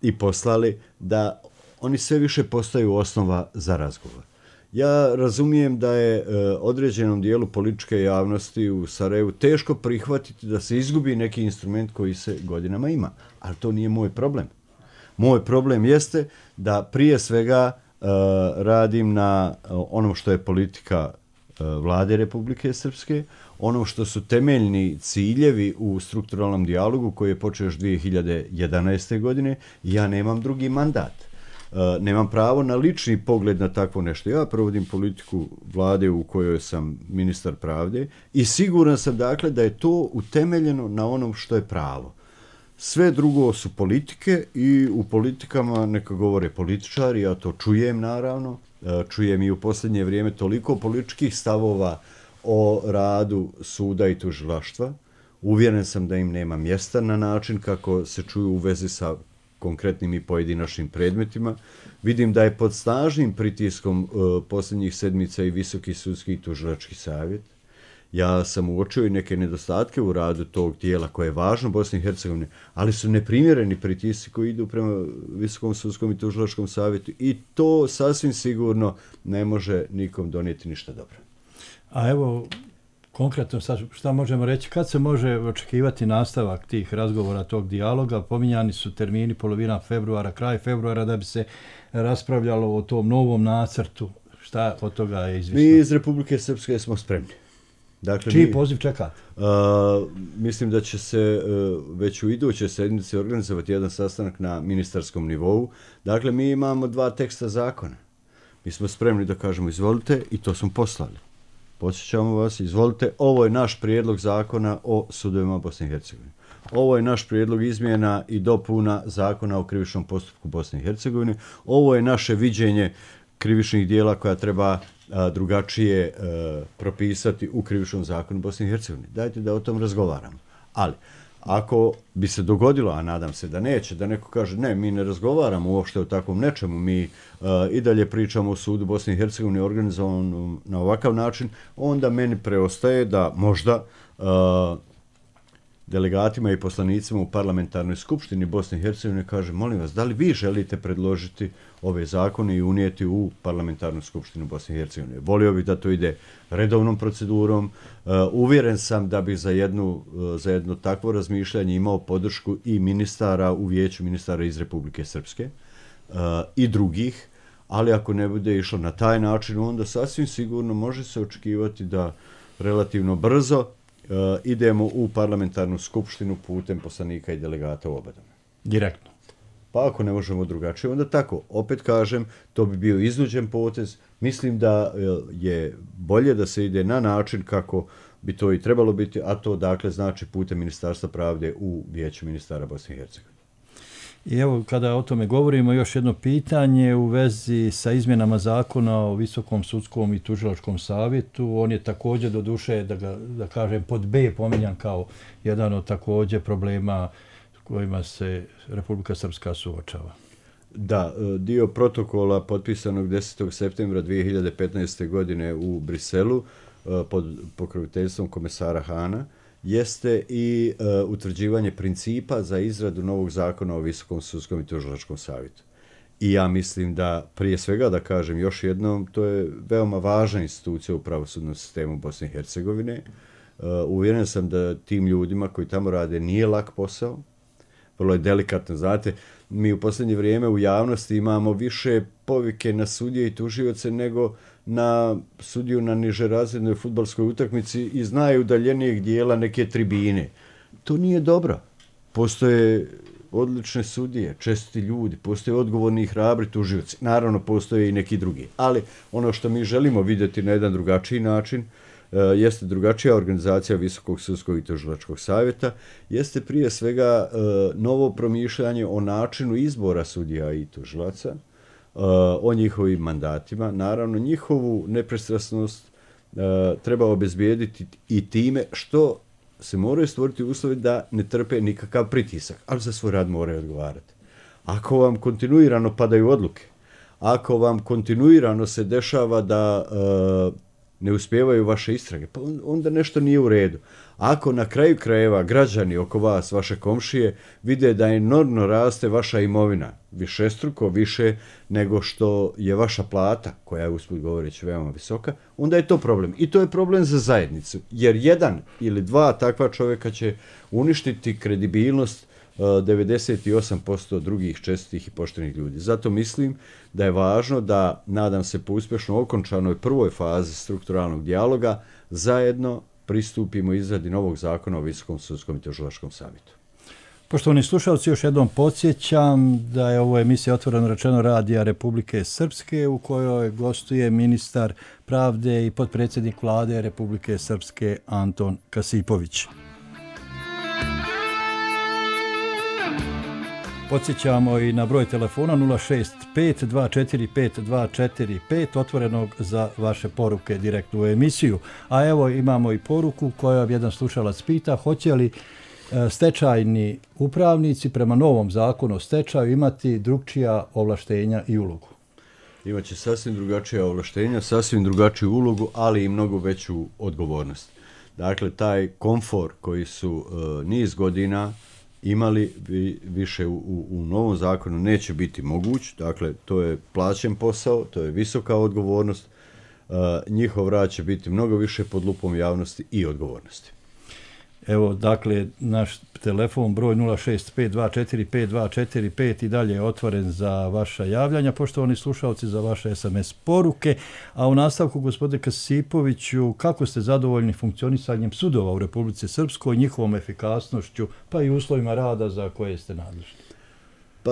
Speaker 12: i poslali, da oni sve više postaju osnova za razgovor. Ja razumijem da je uh, određenom dijelu političke javnosti u Sarajevu teško prihvatiti da se izgubi neki instrument koji se godinama ima, ali to nije moj problem. Moj problem jeste da prije svega uh, radim na uh, onom što je politika uh, vlade Republike Srpske, ono što su temeljni ciljevi u strukturalnom dijalogu koji je počeo još dvije hiljade jedanaeste. godine, ja nemam drugi mandat. Uh, nemam pravo na lični pogled na takvo nešto. Ja provodim politiku vlade u kojoj sam ministar pravde i siguran sam dakle da je to utemeljeno na onom što je pravo. Sve drugo su politike i u politikama neka govore političari, ja to čujem naravno, uh, čujem i u posljednje vrijeme toliko političkih stavova o radu suda i tužilaštva. Uvjeren sam da im nema mjesta na način kako se čuju u vezi sa konkretnim i pojedinačnim predmetima. Vidim da je pod snažnim pritiskom uh, posljednjih sedmica i Visoki sudski i tužilački savjet. Ja sam uočio i neke nedostatke u radu tog tijela koje je važno Bosni i Hercegovini, ali su neprimjereni pritisci koji idu prema Visokom sudskom i tužilačkom savjetu i to sasvim sigurno ne može nikom donijeti ništa dobro.
Speaker 11: A evo, konkretno šta možemo reći, kad se može očekivati nastavak tih razgovora, tog dijaloga? Pominjani su termini polovina februara, kraj februara da bi se raspravljalo o tom novom nacrtu. Šta od toga je izvisno?
Speaker 12: Mi iz Republike Srpske smo spremni. Dakle,
Speaker 11: čiji
Speaker 12: mi,
Speaker 11: poziv čekate?
Speaker 12: Uh, mislim da će se uh, već u iduće sedmice organizovati jedan sastanak na ministarskom nivou. Dakle, mi imamo dva teksta zakona. Mi smo spremni da kažemo izvolite i to smo poslali. Podsjećamo vas, izvolite, ovo je naš prijedlog zakona o sudovima Bosne i Hercegovine. Ovo je naš prijedlog izmjena i dopuna zakona o krivičnom postupku Bosne i Hercegovine. Ovo je naše viđenje krivičnih dijela koja treba a, drugačije a, propisati u krivičnom zakonu Bosne i Hercegovine. Dajte da o tom razgovaramo. Ali, ako bi se dogodilo, a nadam se da neće, da neko kaže ne, mi ne razgovaramo uopšte o takvom nečemu, mi uh, i dalje pričamo o sudu Bosne i Hercegovine organizovanom na ovakav način, onda meni preostaje da možda uh, delegatima i poslanicima u parlamentarnoj skupštini Bosne i Hercegovine kaže, molim vas, da li vi želite predložiti ove zakone i unijeti u parlamentarnu skupštinu Bosne i Hercegovine? Volio bih da to ide redovnom procedurom. Uh, uvjeren sam da bi za, jednu, uh, za jedno takvo razmišljanje imao podršku i ministara u vijeću ministara iz Republike Srpske uh, i drugih, ali ako ne bude išlo na taj način, onda sasvim sigurno može se očekivati da relativno brzo uh, idemo u parlamentarnu skupštinu putem poslanika i delegata u obadome.
Speaker 11: Direktno.
Speaker 12: Pa ako ne možemo drugačije, onda tako. Opet kažem, to bi bio iznuđen potez. Mislim da je bolje da se ide na način kako bi to i trebalo biti, a to dakle znači putem Ministarstva pravde u vijeću ministara Bosne i Hercegovine.
Speaker 11: I evo, kada o tome govorimo, još jedno pitanje u vezi sa izmjenama zakona o Visokom sudskom i tužilačkom savjetu. On je također, do duše, da, ga, da kažem, pod B pominjan kao jedan od također problema kojima se Republika Srpska suočava.
Speaker 12: Da, dio protokola potpisanog desetog septembra dvije hiljade petnaeste. godine u Briselu pod pokroviteljstvom komesara Hana jeste i uh, utvrđivanje principa za izradu novog zakona o Visokom sudskom i tužilačkom savjetu. I ja mislim da, prije svega da kažem još jednom, to je veoma važna institucija u pravosudnom sistemu Bosne i Hercegovine. Uh, uvjeren sam da tim ljudima koji tamo rade nije lak posao, vrlo je delikatno. Znate, mi u posljednje vrijeme u javnosti imamo više povike na sudije i tužioce nego na sudiju na nižerazrednoj fudbalskoj utakmici iz najudaljenijeg dijela neke tribine. To nije dobro. Postoje odlične sudije, čestiti ljudi, postoje odgovorni i hrabri tužioci. Naravno, postoje i neki drugi. Ali ono što mi želimo vidjeti na jedan drugačiji način, uh, jeste drugačija organizacija Visokog sudskog i tužilačkog savjeta, jeste prije svega uh, novo promišljanje o načinu izbora sudija i tužilaca, uh, o njihovim mandatima. Naravno, njihovu nepristrasnost uh, treba obezbijediti i time što se moraju stvoriti uslovi da ne trpe nikakav pritisak, ali za svoj rad moraju odgovarati. Ako vam kontinuirano padaju odluke, ako vam kontinuirano se dešava da uh, ne uspijevaju vaše istrage, pa onda nešto nije u redu. Ako na kraju krajeva građani oko vas, vaše komšije, vide da enormno raste vaša imovina, višestruko više nego što je vaša plata, koja je usput govoreći veoma visoka, onda je to problem. I to je problem za zajednicu, jer jedan ili dva takva čovjeka će uništiti kredibilnost devedeset osam posto drugih čestitih i poštenih ljudi. Zato mislim da je važno da, nadam se po uspješno okončanoj prvoj fazi strukturalnog dijaloga, zajedno pristupimo izradi novog zakona o Visokom sudskom i tužilačkom savjetu.
Speaker 11: Poštovani slušalci, još jednom podsjećam da je ovo emisija Otvoreno rečeno radija Republike Srpske, u kojoj gostuje ministar pravde i potpredsjednik vlade Republike Srpske Anton Kasipović. Podsjećamo i na broj telefona nula šest pet dva četiri pet dva četiri pet, otvorenog za vaše poruke direktno u emisiju. A evo imamo i poruku koja jedan slušalac pita, hoće li stečajni upravnici prema novom zakonu o stečaju imati drugčija ovlaštenja i ulogu?
Speaker 12: Imaće sasvim drugačija ovlaštenja, sasvim drugačiju ulogu, ali i mnogo veću odgovornost. Dakle, taj komfor koji su uh, niz godina imali vi, više u, u novom zakonu neće biti moguć. Dakle, to je plaćen posao, to je visoka odgovornost. Uh, njihov rad će biti mnogo više pod lupom javnosti i odgovornosti.
Speaker 11: Evo, dakle, naš telefon broj nula šest pet dva četiri pet dva četiri pet i dalje je otvoren za vaša javljanja, poštovani slušalci, za vaše es em es poruke. A u nastavku, gospodine Kasipoviću, kako ste zadovoljni funkcionisanjem sudova u Republici Srpskoj, njihovom efikasnošću, pa i uslovima rada za koje ste nadležni?
Speaker 12: Pa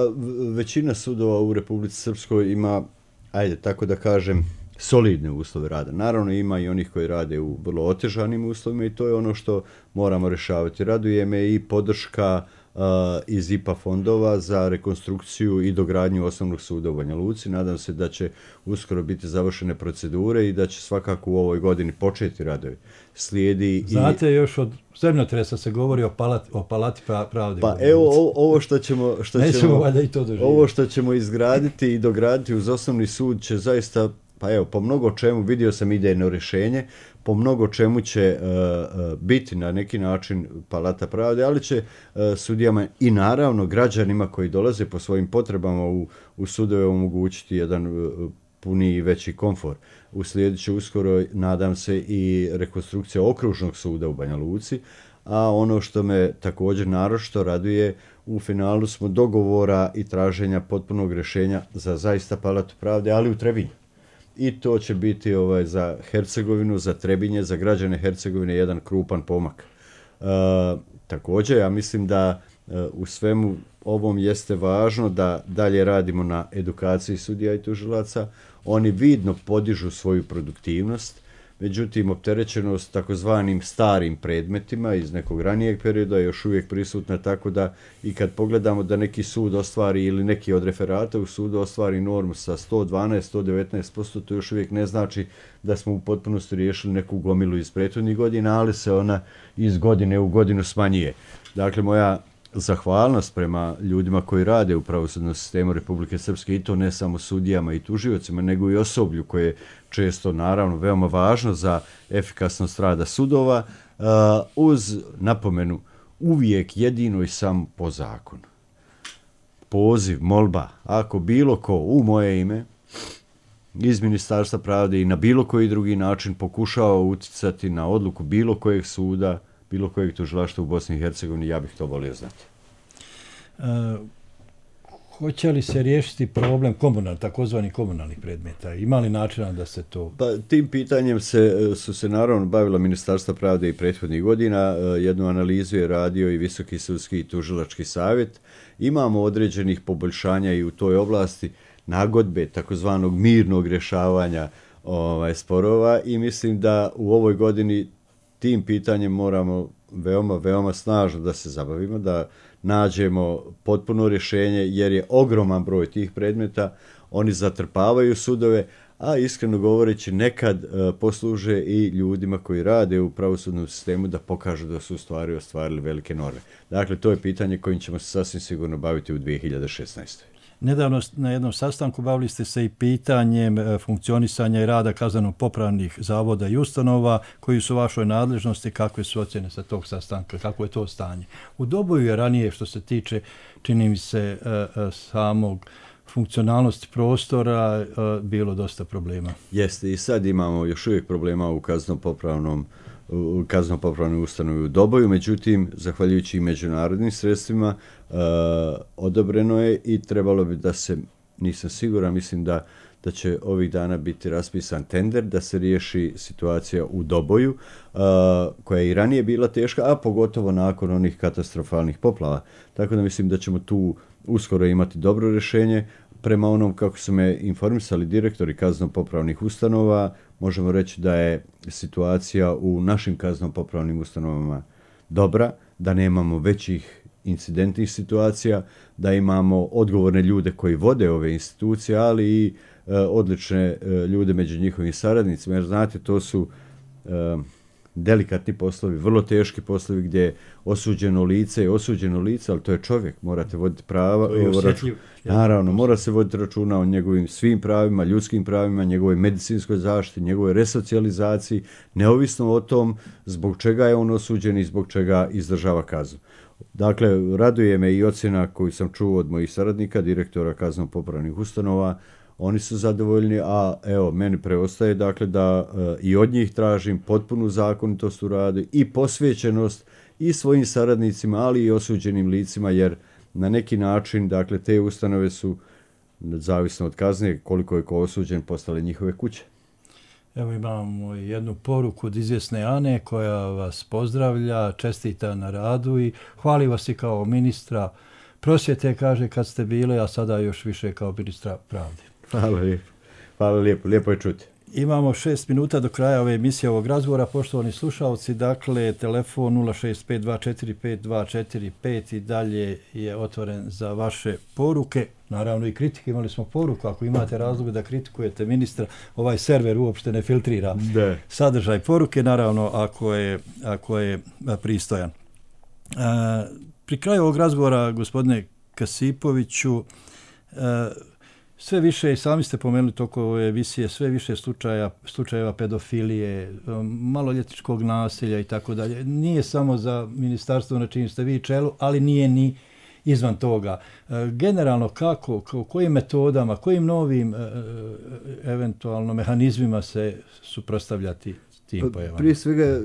Speaker 12: većina sudova u Republici Srpskoj ima, ajde tako da kažem, solidne uslove rada. Naravno, ima i onih koji rade u vrlo otežanim uslovima i to je ono što moramo rješavati. Raduje me i podrška uh, iz I P A fondova za rekonstrukciju i dogradnju osnovnog suda u Banja Luci. Nadam se da će uskoro biti završene procedure i da će svakako u ovoj godini početi radovi. Slijedi
Speaker 11: Znate,
Speaker 12: i...
Speaker 11: još od zemljotresa se govori o palati, o palati pravde.
Speaker 12: Pa evo ovo, ovo što ćemo, što ćemo,
Speaker 11: i to
Speaker 12: ovo što ćemo izgraditi i dograditi uz osnovni sud će zaista, pa evo, po mnogo čemu, vidio sam idejno rješenje, po mnogo čemu će uh, uh, biti na neki način palata pravde, ali će uh, sudijama i naravno građanima koji dolaze po svojim potrebama u, u sudove omogućiti jedan uh, puniji i veći komfor. Uslijedit će uskoro, nadam se, i rekonstrukcija okružnog suda u Banja Luci, a ono što me također naročito raduje, u finalu smo dogovora i traženja potpunog rješenja za zaista palatu pravde, ali u Trebinju. I to će biti ovaj, za Hercegovinu, za Trebinje, za građane Hercegovine jedan krupan pomak. E, također, ja mislim da e, u svemu ovom jeste važno da dalje radimo na edukaciji sudija i tužilaca. Oni vidno podižu svoju produktivnost, međutim, opterećenost takozvanim starim predmetima iz nekog ranijeg perioda je još uvijek prisutna, tako da i kad pogledamo da neki sud ostvari ili neki od referata u sudu ostvari normu sa sto dvanaest do sto devetnaest posto, to još uvijek ne znači da smo u potpunosti riješili neku gomilu iz prethodnih godina, ali se ona iz godine u godinu smanjuje. Dakle, moja zahvalnost prema ljudima koji rade u pravosudnom sistemu Republike Srpske, i to ne samo sudijama i tužiocima, nego i osoblju koje je često, naravno, veoma važno za efikasnost rada sudova, uh, uz napomenu uvijek jedino i samo po zakonu. Poziv, molba, ako bilo ko u moje ime iz Ministarstva pravde i na bilo koji drugi način pokušava uticati na odluku bilo kojeg suda, bilo kojeg tužilaštva u Bosni i Hercegovini, ja bih to volio znati.
Speaker 11: E, Hoće li se riješiti problem komunal, takozvani komunalnih predmeta? Ima li načina da se to...
Speaker 12: Pa, tim pitanjem se, su se naravno bavila Ministarstva pravde i prethodnih godina. Jednu analizu je radio i Visoki sudski i tužilački savjet. Imamo određenih poboljšanja i u toj oblasti nagodbe, takozvanog mirnog rješavanja ovaj, sporova i mislim da u ovoj godini tim pitanjem moramo veoma, veoma snažno da se zabavimo, da nađemo potpuno rješenje jer je ogroman broj tih predmeta, oni zatrpavaju sudove, a iskreno govoreći nekad uh, posluže i ljudima koji rade u pravosudnom sistemu da pokažu da su u stvari ostvarili velike norme. Dakle, to je pitanje kojim ćemo se sasvim sigurno baviti u dvije hiljade šesnaestoj.
Speaker 11: Nedavno na jednom sastanku bavili ste se i pitanjem funkcionisanja i rada kazneno-popravnih zavoda i ustanova koji su u vašoj nadležnosti, kakve su ocjene sa tog sastanka, kako je to stanje. U Doboju je ranije što se tiče, čini mi se, samog funkcionalnosti prostora bilo dosta problema.
Speaker 12: Jeste, i sad imamo još uvijek problema u kazneno-popravnom u kazneno-popravnoj ustanovi u Doboju, međutim, zahvaljujući i međunarodnim sredstvima, e, odobreno je i trebalo bi da se, nisam siguran, mislim da, da će ovih dana biti raspisan tender da se riješi situacija u Doboju, e, koja je i ranije bila teška, a pogotovo nakon onih katastrofalnih poplava. Tako da mislim da ćemo tu uskoro imati dobro rješenje. Prema onom kako su me informisali direktori kazneno-popravnih ustanova, možemo reći da je situacija u našim kazneno-popravnim ustanovama dobra, da nemamo većih incidentnih situacija, da imamo odgovorne ljude koji vode ove institucije, ali i e, odlične e, ljude među njihovim saradnicima, jer znate, to su e, delikatni poslovi, vrlo teški poslovi gdje je osuđeno lice je osuđeno lice, ali to je čovjek, morate voditi prava. Račun, naravno, mora se voditi računa o njegovim svim pravima, ljudskim pravima, njegovoj medicinskoj zaštiti, njegovoj resocijalizaciji, neovisno o tom zbog čega je on osuđen i zbog čega izdržava kaznu. Dakle, raduje me i ocjena koju sam čuo od mojih saradnika, direktora kazneno-popravnih ustanova. Oni su zadovoljni, a evo, meni preostaje dakle da e, i od njih tražim potpunu zakonitost u radu i posvećenost i svojim saradnicima, ali i osuđenim licima, jer na neki način, dakle, te ustanove su, zavisno od kazne, koliko je ko osuđen, postale njihove kuće.
Speaker 11: Evo imamo jednu poruku od izvjesne Ane koja vas pozdravlja, čestita na radu i hvali vas i kao ministra prosvjete, kaže, kad ste bile, a sada još više kao ministra pravde.
Speaker 12: Hvala lijepo. Hvala lijepo. Lijepo je čuti.
Speaker 11: Imamo šest minuta do kraja ove emisije, ovog razgovora. Poštovani slušalci, dakle, telefon nula šest pet dva četiri pet dva četiri pet i dalje je otvoren za vaše poruke. Naravno i kritike, imali smo poruku. Ako imate razloga da kritikujete ministra, ovaj server uopšte ne filtrira
Speaker 12: da. sadržaj
Speaker 11: poruke, naravno ako je, ako je pristojan. A, pri kraju ovog razgovora, gospodine Kasipoviću, a, sve više, i sami ste pomenuli toko ove emisije, sve više slučaja, slučajeva pedofilije, maloljetničkog nasilja i tako dalje. Nije samo za ministarstvo na čim ste vi čelu, ali nije ni izvan toga. Generalno kako, kojim metodama, kojim novim eventualno mehanizmima se suprotstavljati tim pojavama?
Speaker 12: Prije svega,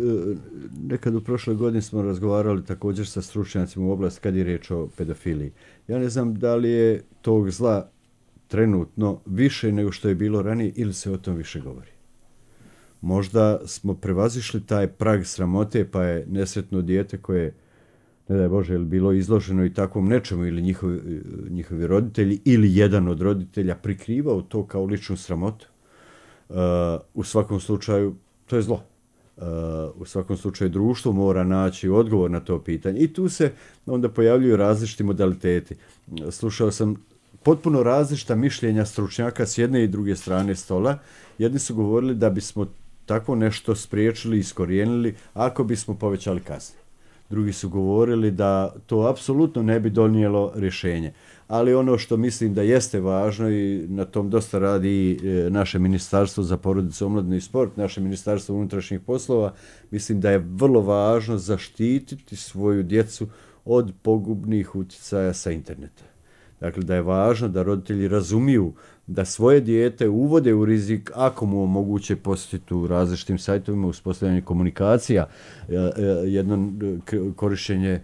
Speaker 12: nekad u prošloj godini smo razgovarali također sa stručnjacima u oblasti kad je riječ o pedofiliji. Ja ne znam da li je tog zla trenutno više nego što je bilo ranije ili se o tom više govori. Možda smo prevazišli taj prag sramote, pa je nesretno dijete koje, ne daj Bože, je bilo izloženo i takvom nečemu ili njihovi, njihovi roditelji ili jedan od roditelja prikrivao to kao ličnu sramotu. Uh, u svakom slučaju, to je zlo. Uh, u svakom slučaju društvo mora naći odgovor na to pitanje. I tu se onda pojavljuju različiti modaliteti. Slušao sam potpuno različita mišljenja stručnjaka s jedne i druge strane stola. Jedni su govorili da bismo tako nešto spriječili i iskorijenili ako bismo povećali kazne. Drugi su govorili da to apsolutno ne bi donijelo rješenje. Ali ono što mislim da jeste važno i na tom dosta radi naše Ministarstvo za porodicu, omladinu i sport, naše Ministarstvo unutrašnjih poslova, mislim da je vrlo važno zaštititi svoju djecu od pogubnih utjecaja sa interneta. Dakle, da je važno da roditelji razumiju da svoje dijete uvode u rizik ako mu omoguće posjetiti u različitim sajtovima, uspostavljanje komunikacija, jedno korištenje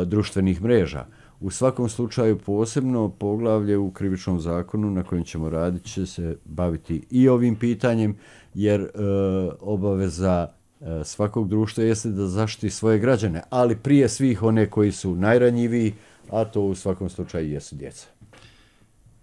Speaker 12: društvenih mreža. U svakom slučaju posebno poglavlje u krivičnom zakonu na kojem ćemo raditi će se baviti i ovim pitanjem, jer e, obaveza e, svakog društva jeste da zaštiti svoje građane, ali prije svih one koji su najranjiviji, a to u svakom slučaju jesu djeca.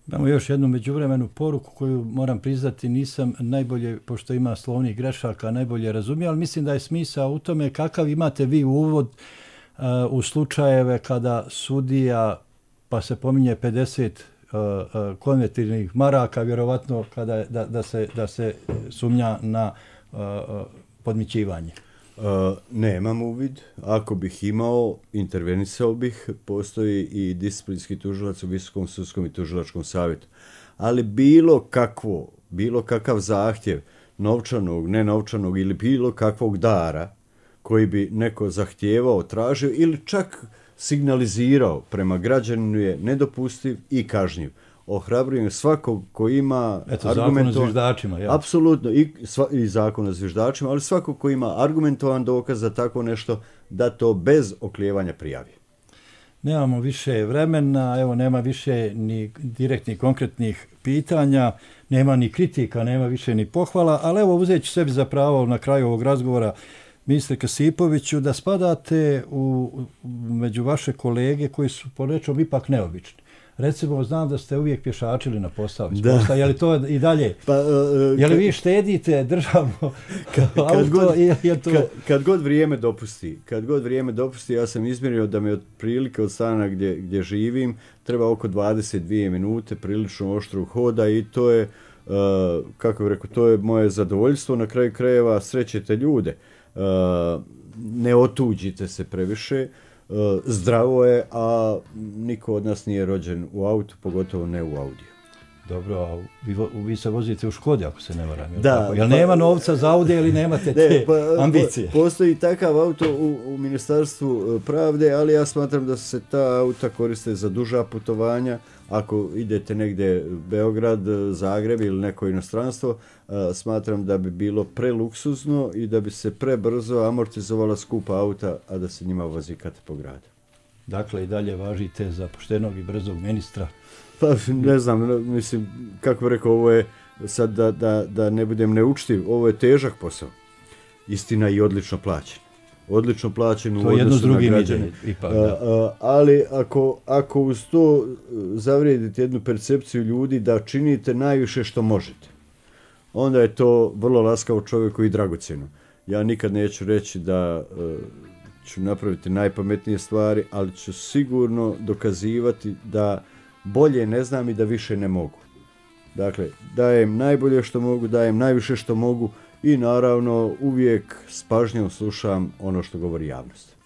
Speaker 11: Imamo još jednu međuvremenu poruku koju moram priznati nisam najbolje, pošto ima slovnih grešaka, najbolje razumio, ali mislim da je smisao u tome kakav imate vi uvod uh, u slučajeve kada sudija, pa se pominje pedeset uh, uh, konvertibilnih maraka, vjerovatno kada je, da, da, se, da se sumnja na uh, uh, podmićivanje.
Speaker 12: Uh, nemam uvid. Ako bih imao, intervenisao bih. Postoji i disciplinski tužilac u Visokom sudskom i tužilačkom savjetu. Ali bilo kakvo, bilo kakav zahtjev novčanog, nenovčanog ili bilo kakvog dara koji bi neko zahtijevao, tražio ili čak signalizirao prema građaninu je nedopustiv i kažnjiv. Ohrabrujem svakog koji ima
Speaker 11: Eto, zakon o zviždačima. Ja.
Speaker 12: Apsolutno, i, sva, i zakon o zviždačima, ali svakog koji ima argumentovan dokaz za tako nešto, da to bez oklijevanja prijavi.
Speaker 11: Nemamo više vremena, evo nema više ni direktnih konkretnih pitanja, nema ni kritika, nema više ni pohvala, ali evo uzet ću sebi za pravo na kraju ovog razgovora, ministre Kasipoviću, da spadate u, među vaše kolege koji su po nečom ipak neobični. Recimo, znam da ste uvijek pješačili na posao. Da. Je li to i dalje? Pa, uh, je li vi štedite državno
Speaker 12: kad,
Speaker 11: auto?
Speaker 12: Kad god,
Speaker 11: je to...
Speaker 12: kad, kad god vrijeme dopusti, kad god vrijeme dopusti, ja sam izmjerio da me otprilike od stana gdje, gdje živim treba oko dvadeset dvije minute prilično oštrog hoda i to je, uh, kako bih rekao, to je moje zadovoljstvo. Na kraju krajeva srećete ljude. Uh, ne otuđite se previše. Zdravo je, a niko od nas nije rođen u autu, pogotovo ne u Audiju.
Speaker 11: Dobro, a vi, vi se vozite u Škodi, ako se ne varam. Jel,
Speaker 12: da,
Speaker 11: tako? Jel nema novca za Audi ili nemate te ne, pa, ambicije?
Speaker 12: Postoji takav auto u, u Ministarstvu pravde, ali ja smatram da se ta auta koriste za duža putovanja. Ako idete negdje Beograd, Zagreb ili neko inostranstvo, smatram da bi bilo preluksuzno i da bi se prebrzo amortizovala skupa auta, a da se njima vozi kate po gradu.
Speaker 11: Dakle, i dalje važite za poštenog i brzog ministra?
Speaker 12: Pa ne znam, mislim, kako bih rekao, ovo je sad da, da, da ne budem neučtiv, ovo je težak posao. Istina i odlično plaćen. Odlično plaćen u odnosu na građane.
Speaker 11: Ipak,
Speaker 12: a, a, ali ako, ako uz to zavrijedite jednu percepciju ljudi da činite najviše što možete, onda je to vrlo laskavo čovjeku i dragocjeno. Ja nikad neću reći da uh, ću napraviti najpametnije stvari, ali ću sigurno dokazivati da bolje ne znam i da više ne mogu. Dakle, dajem najbolje što mogu, dajem najviše što mogu i naravno uvijek s pažnjom slušam ono što govori javnost.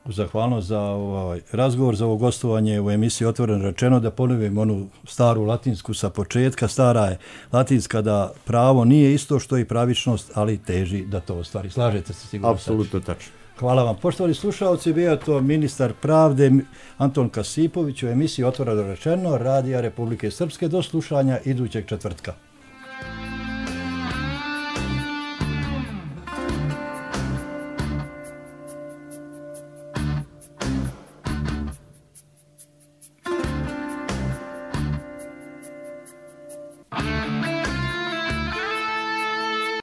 Speaker 11: Zahvalnost za ovaj razgovor, za ovo gostovanje u emisiji Otvoreno rečeno, da ponovim onu staru latinsku sa početka. Stara je latinska da pravo nije isto što i pravičnost, ali teži da to ostvari. Slažete se sigurno?
Speaker 12: Apsolutno tačno.
Speaker 11: Hvala vam. Poštovani slušalci, bio je to ministar pravde Anton Kasipović u emisiji Otvoreno rečeno Radija Republike Srpske. Do slušanja idućeg četvrtka.